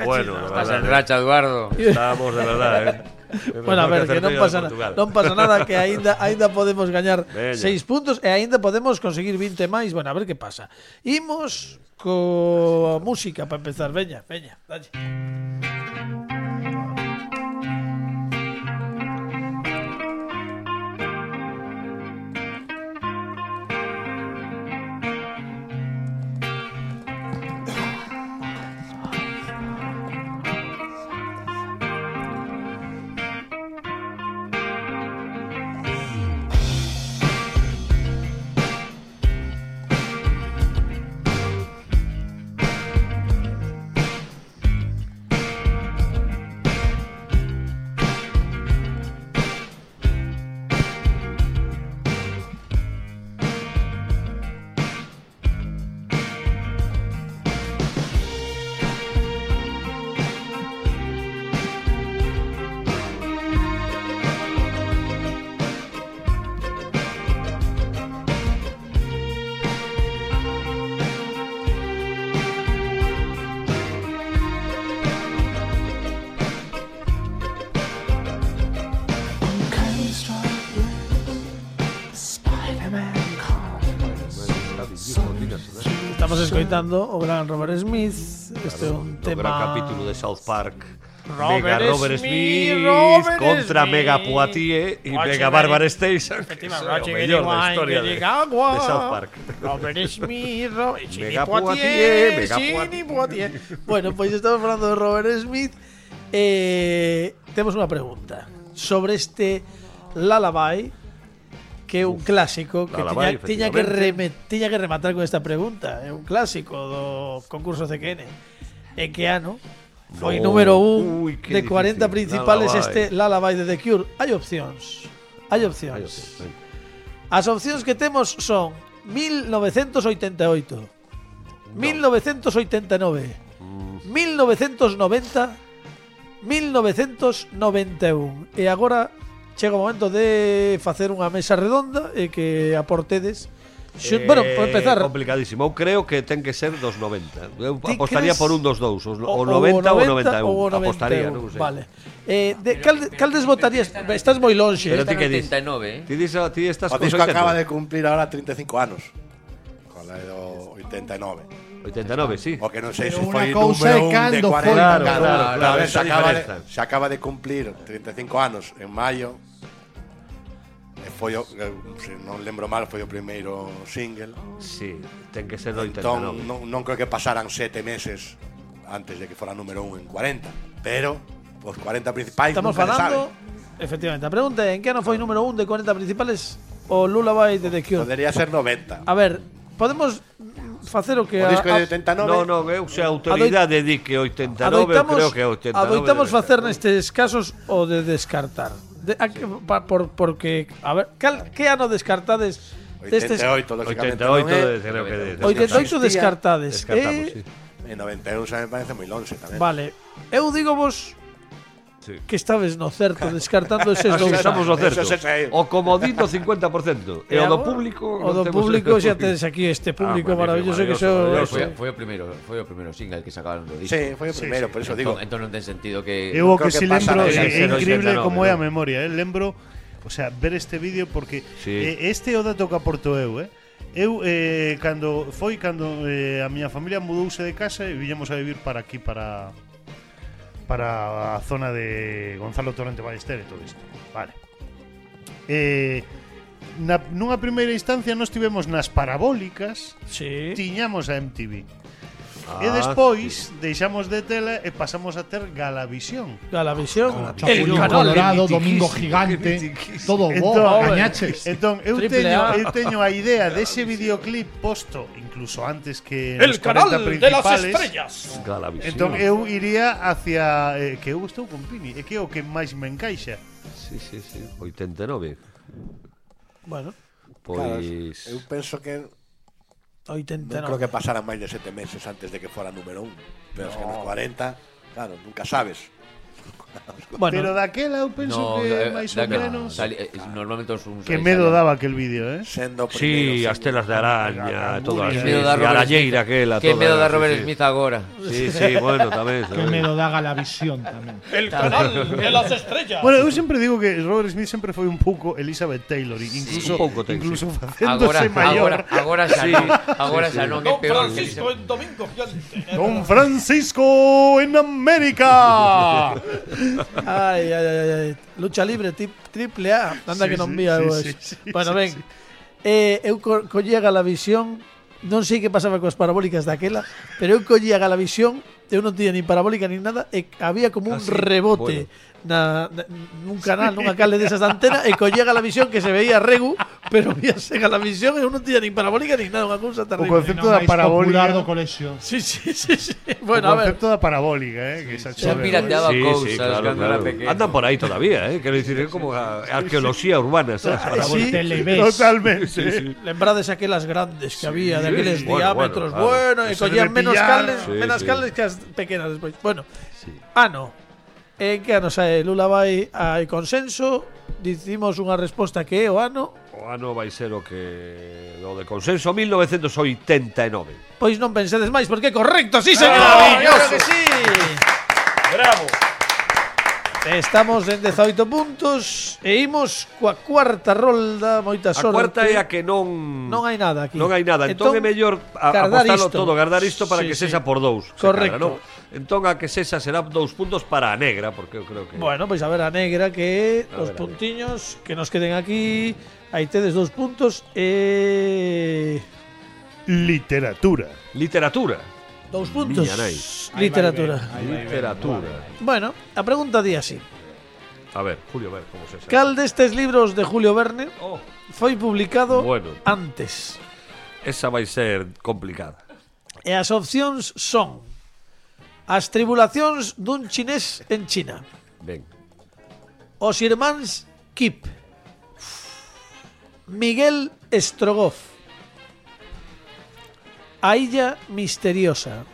Bueno, de Estás en verdade, racha, Eduardo. estamos de verdade, eh. Bueno, a ver, que non pasa nada, non pasa nada, que aínda aínda podemos gañar Veña. seis puntos e aínda podemos conseguir vinte máis. Bueno, a ver que pasa. Imos co música para empezar. Veña, veña, dalle. Estamos escoitando o gran Robert Smith. Este é un O tema... gran capítulo de South Park. Robert Mega Robert Smith, Smith, Robert contra Smith. Mega Poitier y Watching Mega Mary- Barbara Station. Que é o Watching mellor da Mary historia de, Wine, Agua. de South Park. Robert Smith, Robert Mega Poitier, Poitier, Mega Chini Poitier. Bueno, pois pues estamos falando de Robert Smith. Eh, temos unha pregunta sobre este Lullaby, que é un clásico que Lullaby, tiña, tiña, que efectivamente. reme, tiña que rematar con esta pregunta. É un clásico do concurso C Q N. En que ano foi No. número un Uy, qué de cuarenta difícil. principales Lullaby. este Lullaby de The Cure? Hai opcións. Hai opcións. As opcións que temos son mil novecentos oitenta e oito, mil novecentos oitenta e nove, mil novecentos noventa, mil novecentos noventa e un. E agora chega o momento de facer unha mesa redonda e que aportedes. Xu- bueno, por empezar, complicadísimo. Eu creo que ten que ser dos noventa. Eu Ti apostaría crees- por un dos dous, o, o- o o noventa ou o noventa e ou o un. Apostaría, noventa e un. non sei. Vale. Eh, de, cal, cal desvotarías? Estás moi lonxe. Pero eh? ti que dis? oitenta e nove, eh? Ti, dis, ti estás O con disco oitenta. acaba de cumplir ahora treinta e cinco anos. Con la do oitenta e nove. oitenta e nove, sí. O que non sei Pero se unha foi cousa número é un de cando foi. cuarenta. Claro, Claro, claro, claro, claro, se, esa acaba de, diferenza. se acaba de cumplir treinta e cinco anos en maio. E foi o, eh, se non lembro mal, foi o primeiro single. Sí, ten que ser do oitenta e Entón, nove. non, non creo que pasaran sete meses antes de que fora número un en cuarenta. Pero, os cuarenta principais Estamos nunca se falando, sabe. efectivamente, a pregunta é en que ano foi número un de cuarenta principales o Lullaby de The Cure? Podería ser noventa. A ver, podemos facer o que O disco a- de oitenta e nove. No, no, eu se a autoridade di que oitenta e nove, eu adoitamos, creo que oitenta e nove. adoitamos debe facer ser. nestes casos o de descartar. De, a, que- pa, por, porque, a ver, cal, que ano descartades destes? oitenta e oito, lógicamente. oitenta e oito, non é. de- creo que de- oitenta e oito Existía. descartades. Descartamos, eh, sí. En noventa e un xa me parece moi longe tamén. Vale, eu digo vos Sí. que estabes no certo descartando eses Así dous que estamos no anos. certo. Eso se sei. O comodín do cincuenta por cento. E o do agora, público. o do non temos- público xa tedes aquí este público Ah, magnífico, maravilloso que maravilloso, xo maravilloso. Foi, foi o primeiro, foi o primeiro single que sacaron do disco. Sí, foi o primeiro, por eso digo. Entón, entón non ten sentido que Eu o creo que que si pasa lembro nada. é, Debe ser é increíble oitenta e nove, como é a ¿no? memoria, eh? Lembro, o sea, ver este vídeo porque Sí. eh, este é o dato que aporto eu, eh? Eu eh, cando foi cando eh, a miña familia mudouse de casa e viñamos a vivir para aquí para para a zona de Gonzalo Torrente Ballester e todo isto. Vale. Eh, na, nunha primeira instancia nós tivemos nas parabólicas, Sí. tiñamos a M T V. Ah, e despois deixamos de tela e pasamos a ter Galavisión. Galavisión, el Chapulín canal. Colorado, Domingo Gigante, todo bo, gañaches. entón eu Triple teño, A. eu teño a idea dese videoclip posto incluso antes que El nos cuarenta canal de las principales. estrellas. Galavisión. Entón eu iría hacia eh, que eu estou con Pini, e que é o que máis me encaixa. Sí, sí, sí. oitenta e nove. Bueno, Claro, Pois. eu penso que oitenta e non creo nove. que pasaran máis de sete meses antes de que fora número un. Pero es que nos cuarenta, claro, nunca sabes. Bueno, Pero daquela eu penso No, que eh, máis ou daquela menos sali- eh, normalmente os uns que aí medo salían. daba aquel vídeo, eh? Sendo Sí, primeiro as telas de araña, todas Que as medo da e a Robert arañeira Smith. aquela, Que toda, medo da sí, Robert sí. Smith agora. Sí, sí, bueno, tamén. Que tamén. medo da Galavisión tamén. el canal de las estrellas. Bueno, eu sempre digo que Robert Smith sempre foi un pouco Elizabeth Taylor, incluso un pouco, ten, incluso sí. Agora, facéndose maior. agora, agora xa Sí. non. Agora xa non é Don peor que Francisco Elizabeth. en Domingo Gigante. Don Francisco en América. Ay, ay, ay, ay. Lucha libre, tip, triple A. Anda Sí, que non sí, vía sí, eu sí, eso. sí, Bueno, sí, ven. sí. Eh, eu co collía Galavisión. Non sei que pasaba coas parabólicas daquela, pero eu collía Galavisión, eu non tiña nin parabólica nin nada, e había como un Ah, sí? rebote na, na, nun canal, nunha cale desas de antena, e collía Galavisión que se veía regu, pero víase Galavisión e eu non tiña nin parabólica nin nada, unha cousa O terrible. concepto Non da máis popular parabólica. do colexio. Sí, sí, sí, sí. O Bueno, a ver. concepto da parabólica, eh, que esa Xa chave. pirateaba Sí, cousas sí, claro, cando claro. era pequeno. Andan por aí todavía, eh? Quero dicir, é como a arqueoloxía urbana, sabes? Ay, Para sí. Televes. Totalmente. Sí, sí. Lembrades aquelas grandes que había, de aqueles bueno, diámetros, bueno, claro. bueno, e Eso collían debe menos pillar. cales, Sí, menos sí. cales que as pequenas despois. Bueno, ano. En que ano sae Lullaby? Hai consenso. Dicimos unha resposta que é o ano. O ano vai ser o que o de consenso mil novecentos oitenta e nove. Pois non pensedes máis, porque é correcto, sí, señor. Maravilloso. Claro que sí. Bravo. Estamos en dezaoito puntos e imos coa cuarta rolda, moita A sorte. cuarta é a que non Non hai nada aquí. Non hai nada, entón, Entón, é mellor a, guardar apostalo isto. todo, guardar isto para Sí, que sí. sexa por dous. se Correcto. cadra, non? Entón a que sexa será dous puntos para a negra, porque eu creo que Bueno, pois a ver a negra que A os ver, a ver. puntiños que nos queden aquí. Aí tedes dous puntos e Literatura. literatura. dous puntos. Miña nai. Literatura. Literatura. Bueno, a pregunta di así. A ver, Julio, a ver como se sabe. Cal destes libros de Julio Verne Oh, foi publicado Bueno. antes? esa vai ser complicada. E as opcións son As tribulacións dun chinés en China, Ben. Os irmáns Kip, Miguel Strogoff, A illa misteriosa.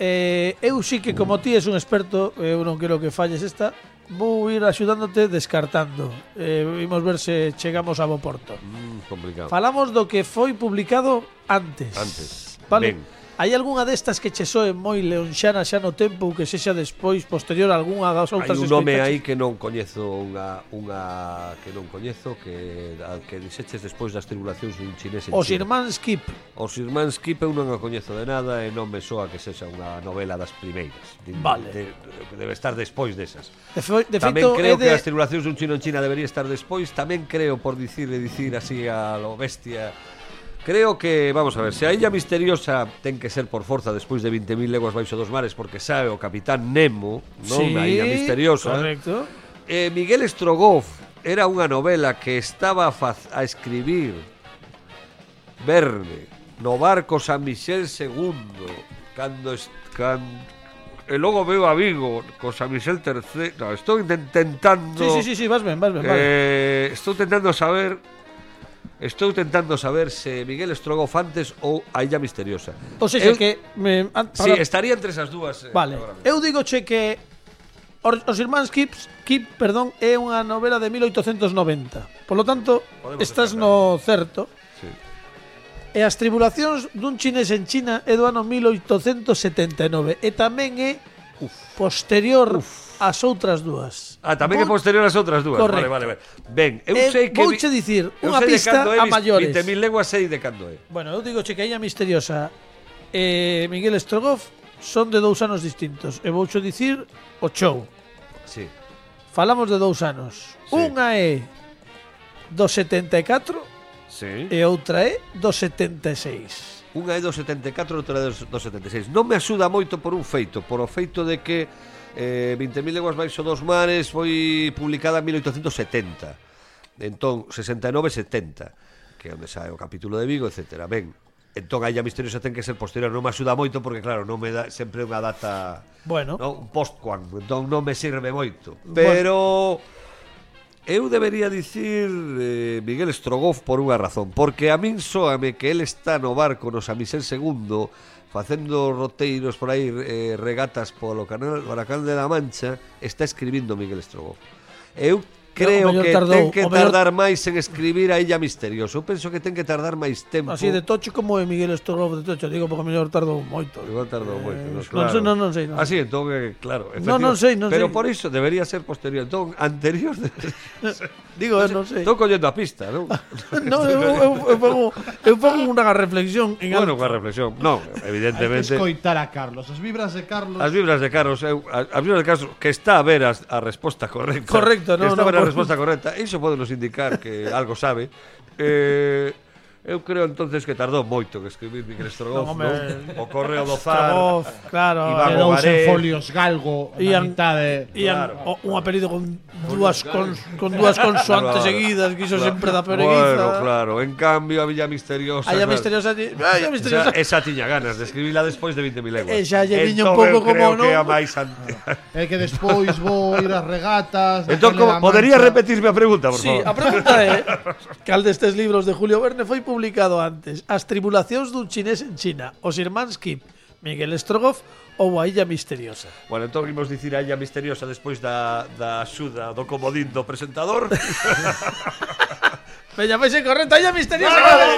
Eh, eu sí que como ti és un experto, eu non quero que falles esta, vou ir axudándote descartando. Eh, vimos ver se chegamos a bo porto. Mm, complicado. Falamos do que foi publicado antes. Antes. Vale. Ben. Hai algunha destas que che soe moi leonxana xa no tempo ou que sexa despois, posterior a algunha das Hai outras un nome escoitaches? aí que non coñezo unha unha que non coñezo que a, que dixeches despois das tribulacións dun chinés en Os China. irmáns Kip. Os irmáns Kip eu non a coñezo de nada e non me soa que sexa unha novela das primeiras. De, Vale. de, de, debe estar despois desas. De, fe, de Tamén feito, creo é de... que as tribulacións dun chino en China debería estar despois. Tamén creo, por dicir e dicir así a lo bestia, creo que, vamos a ver, se a illa misteriosa ten que ser por forza despois de vinte mil leguas baixo dos mares porque sabe o Capitán Nemo, non? Sí, Na illa misteriosa. correcto. Eh, Miguel Strogoff era unha novela que estaba a, faz, a escribir Verne no barco San Miguel segundo cando, est, can, e logo veo a Vigo con San Miguel terceiro. No, estou intentando Sí, sí, sí, sí, vas ben, vas ben, vas ben. eh, estou tentando saber Estou tentando saber se Miguel Strogoff antes ou a illa misteriosa. Ou seja, eu, que... Me, an, Sí, para- estaría entre esas dúas. eh, Vale, agora mesmo. eu digo che que Os, os irmáns Kip, Kip, perdón, é unha novela de mil oitocentos noventa. Por lo tanto, Podemos estás descartar. no certo. Sí. E as tribulacións dun chinés en China é do ano mil oitocentos setenta e nove e tamén é posterior ás outras dúas. Ah, tamén é Vou- posterior ás outras dúas. Correcto. Vale, vale, vale. Ben, eu Eh, sei que vouche dicir eu unha sei de pista cando é a vis- maiores. vinte mil leguas sei de cando é. Bueno, eu digo che que a illa misteriosa e Miguel Strogoff son de dous anos distintos. E vouche dicir o show. Sí. Falamos de dous anos. Sí. Unha é do setenta e catro Sí. e outra é do setenta e seis. Unha é do setenta e catro e outra é do setenta e seis. Non me axuda moito por un feito, por o feito de que eh, vinte mil leguas baixo dos mares foi publicada en mil oitocentos setenta. Entón, sesenta e nove setenta, que é onde sae o capítulo de Vigo, etcétera. Ben, entón a illa misteriosa ten que ser posterior. Non me axuda moito porque, claro, non me dá sempre unha data, Bueno, no, un post-quan, entón non me sirve moito. Pero eu debería dicir eh, Miguel Strogoff por unha razón, porque a min soame que el está no barco no San Miguel segundo facendo roteiros por aí, eh, regatas polo canal, polo canal de la Mancha, está escribindo Miguel Strogoff. Eu creo O mellor que tardou, ten que o mellor- tardar máis en escribir a Illa Misteriosa. Eu penso que ten que tardar máis tempo. así de tocho como é Miguel Strogoff de tocho, digo porque o mellor tardou moito. Igual tardou moito, Eh, no, non claro. sei, non, non sei, non. Así, entón, eh, claro. Non, non sei, non Pero sei. por iso debería ser posterior. Entón, anterior... De... Digo, eh, non sei. Estou collendo a pista, non? No, eu, eu, eu, pongo, eu pongo unha reflexión en Bueno, alto. coa reflexión. Non, Hai que evidentemente... escoitar a Carlos. As vibras de Carlos. As vibras de Carlos, eu, as as vibras de Carlos que está a ver as, a resposta correcta. Correcto, que no, está a no, ver a por- resposta correcta. Iso pode nos indicar que algo sabe. Eh, eu creo entonces que tardou moito que escribir Miguel Strogoff, Non, home, non? O Correo do Zar. Strogoff, claro. Iván eh, Quedouse Bogaré. en folios galgo na Ian- mitade. Ian, Claro. o- un apelido con dúas cons, con dúas consoantes Claro. seguidas, que iso Claro. sempre da pereguiza. Bueno, claro. En cambio, a Villa Misteriosa... A illa claro, misteriosa, di- a illa misteriosa. Esa, esa tiña ganas de escribila despois de vinte mil leguas. E xa lle viña un Entón, pouco eu creo como, que non? a máis ante... É que despois vou ir ás regatas. Entón, daquele como, da podería Mancha. repetirme a pregunta, por Sí, favor? a pregunta é cal destes libros de Julio Verne foi publicado antes? As tribulacións dun chinés en China, Os irmáns Kip, Miguel Strogoff ou A illa misteriosa? Bueno, entón imos dicir a Illa Misteriosa despois da, da axuda do comodín do presentador. Veña, vai ser correcta, A illa misteriosa. ¡Vale!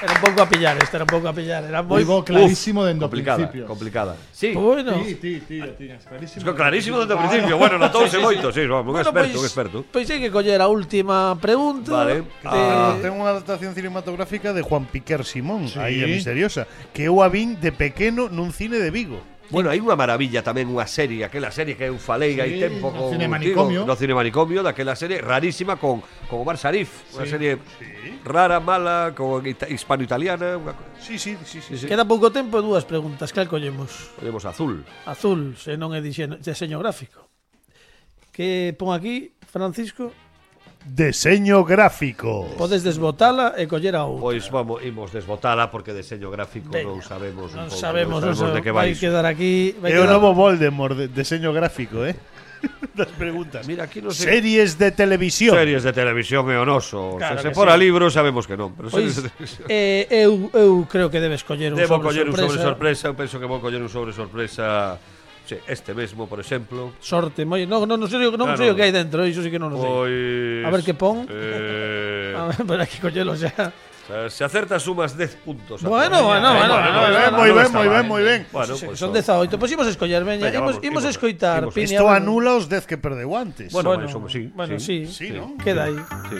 Era un pouco a pillar, esta era un pouco a pillar. Era moi... Moi bo, clarísimo dende o complicada, principio. complicada. Sí, Bueno, Ti, ti, ti, o tiñas clarísimo. es que clarísimo desde o principio. Bueno, notouse moito, sí, un bueno, experto, un pois, experto. pois hai que coller a última pregunta. Vale. Ah, Eh, ten unha adaptación cinematográfica de Juan Piquer Simón, Sí. a Illa Misteriosa, que eu a vin de pequeno nun cine de Vigo. Bueno, hai unha maravilla tamén, unha serie, aquela serie que eu falei Sí, hai tempo no con Cine Manicomio. no Cine Manicomio, daquela serie rarísima con, con Omar Sharif, unha Sí, serie rara, mala, con ita- hispano-italiana, unha co- Sí, sí, sí, sí. sí. Queda pouco tempo e dúas preguntas. Cal collemos? Collemos azul. Azul, se non é diseño, diseño gráfico. Que pon aquí, Francisco? Deseño gráfico. Podes desbotala e coller a outra. Pois vamos, imos desbotala porque deseño gráfico Veña. non sabemos un Non pouco, sabemos, non sabemos de sabemos. que Vai vais. quedar aquí. Vai É o quedar... novo Voldemort, de deseño gráfico, eh? Das preguntas. Mira, aquí non sei. Series de televisión. Series de televisión é o noso. Claro se se que fora sí. libros sabemos que non, pero series Pois, de televisión. eh, eu, eu creo que debes coller un Debo sobre coller un sobre sorpresa. sorpresa, eu penso que vou coller un sobre sorpresa, sí, este mesmo, por exemplo. Sorte, moi, non, non, non sei, non Claro. sei o que hai dentro, iso sí que non o sei. Pois A ver que pon. Eh, A ver, para que collelo xa. se acertas sumas dez puntos. Bueno, bueno, bueno, Moi bueno, ben, bueno, moi non ben, está moi mal. ben, moi ben. Bueno, Sí, pues son son- dezaoito. Pois imos escoller, veña, Veña, imos, vamos, imos imos, escoitar. imos. Pini, Isto a ver. anula os dez que perdeu antes. Bueno, Bueno, eso sí, bueno, sí. Sí, ¿no? Queda aí. Sí.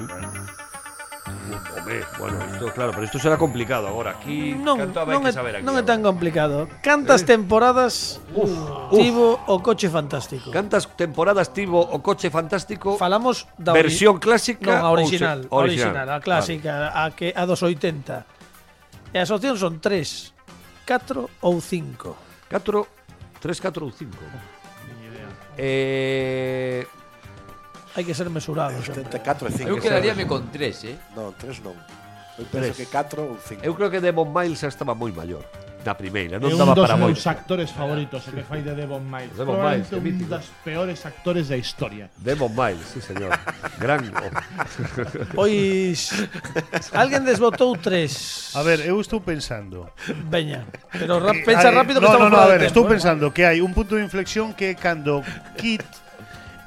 Hombre, bueno, isto, claro, pero isto será complicado agora. Aquí Non, canto vai non, que é, saber aquí. non é agora. tan complicado. Cantas temporadas tivo o Coche Fantástico? Cantas temporadas tivo o Coche Fantástico? Falamos da ori- Versión clásica Non, a ou original, se- a original, a clásica, a que a dos oitenta. E as opcións son tres, catro ou cinco. catro, tres, catro ou cinco. Eh, Hai que ser mesurados. sempre. setenta e catro e cinco. Eu quedaríame con tres, eh. Non, tres non. Eu penso Tres. que catro ou cinco. eu creo que Devon Miles xa estaba moi maior na primeira, É non un daba dos para moito. meus actores favoritos, o que fai de Devon Miles. Devon Probablemente Miles, que un mítico. das peores actores da historia. Devon Miles, sí, señor. Gran. Pois alguén desbotou tres. A ver, eu estou pensando. Veña, pero ra Eh, pensa hai- rápido que no, estamos no, no, fora a de ver, tempo, estou eh. pensando que hai un punto de inflexión que é cando Kit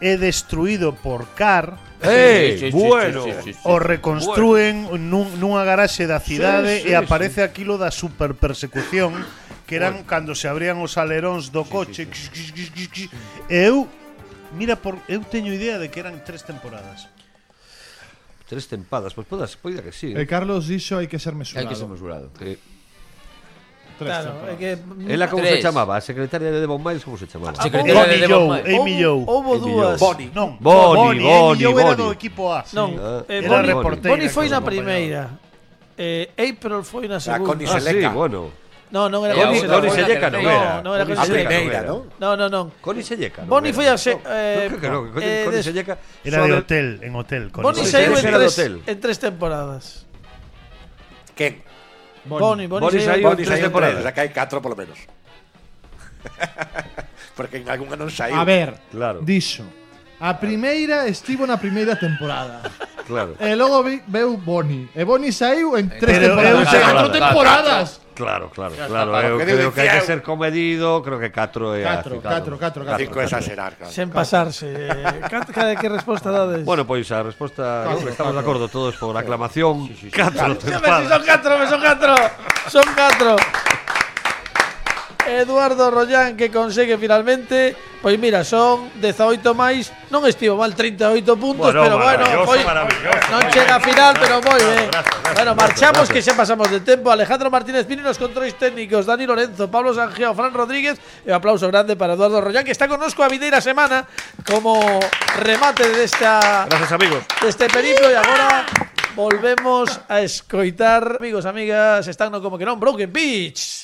é destruído por Car, ¡Eh! Sí, sí, sí, bueno. sí, sí, sí, sí. o reconstrúen nun, nunha garaxe da cidade Sí, sí, e aparece aquilo da super persecución que eran cando se abrían os aleróns do coche. E eu mira, por, eu teño idea de que eran tres temporadas. Tres tempadas, pois podas, poida que sí. E Carlos dixo hai que ser mesurado. Hai que ser mesurado. Eh, Tres Claro, é temporadas. que ela como Tres. se chamaba? A secretaria de Devon Miles como se chamaba? Secretaria Bonnie de Devon Joe, Miles. Amy Joe. Houbo Amy dúas. Joe. Bonnie. Non, Bonnie, Bonnie, Bonnie, Amy Joe era Bonnie. do equipo A. Non, Ah, eh, era Bonnie, reportera Bonnie foi que na nos primeira. Eh, April foi na Ah, segunda. Connie Ah, sí, Seleca. bueno. No, non era Connie- Connie Connie Seleca. Selleca non No, era. non era Connie A Connie Selleca Seleca. primeira, era. non? No, no, non. Connie Selleca. non Bonnie era. foi a se, No, eh, creo que no, que Connie, eh, Connie des- Selleca Era de sobre- hotel, en hotel. Con Bonnie Connie saiu en Selleca era de tres, hotel. en tres temporadas. Quen? Bonnie, Bonnie, Bonnie saiu- saiu en Bonnie tres saiu en temporadas. tres, o sea que hai catro polo menos. Porque en algunha non saiu. A ver, Claro. dixo. A primeira estivo na primeira temporada. Claro. E logo vi, veu Bonnie. E Bonnie saiu en tres Pero temporadas. eu- Catro Claro, temporadas. Claro, claro, Claro, claro. claro, Eu que creo que hai que dicía eu. ser comedido, creo que catro é Catro, aceptado. catro, catro, catro. Cinco é exagerar, claro. Sen pasarse. Eh, cat- cada que resposta dades? Bueno, pois a resposta, Catro, ¿no? Estamos de catro. acordo todos por aclamación. Catro A ver si tempadas. son catro, son catro. Son catro. Eduardo Rollán que consegue finalmente. Pois mira, son dezaoito máis. Non estivo mal, trinta e oito puntos, Bueno, pero bueno, maravilloso, foi, maravilloso. non chega a final, pero moi ben. Gracias, gracias, Bueno, gracias, marchamos gracias. que xa pasamos de tempo. Alejandro Martínez Pini nos controis técnicos, Dani Lorenzo, Pablo Sanjeo, Fran Rodríguez e un aplauso grande para Eduardo Rollán que está connosco a vindeira semana como remate desta Gracias, amigos. deste periplo e agora volvemos a escoitar. Amigos, amigas, están no como que non Broken Beach.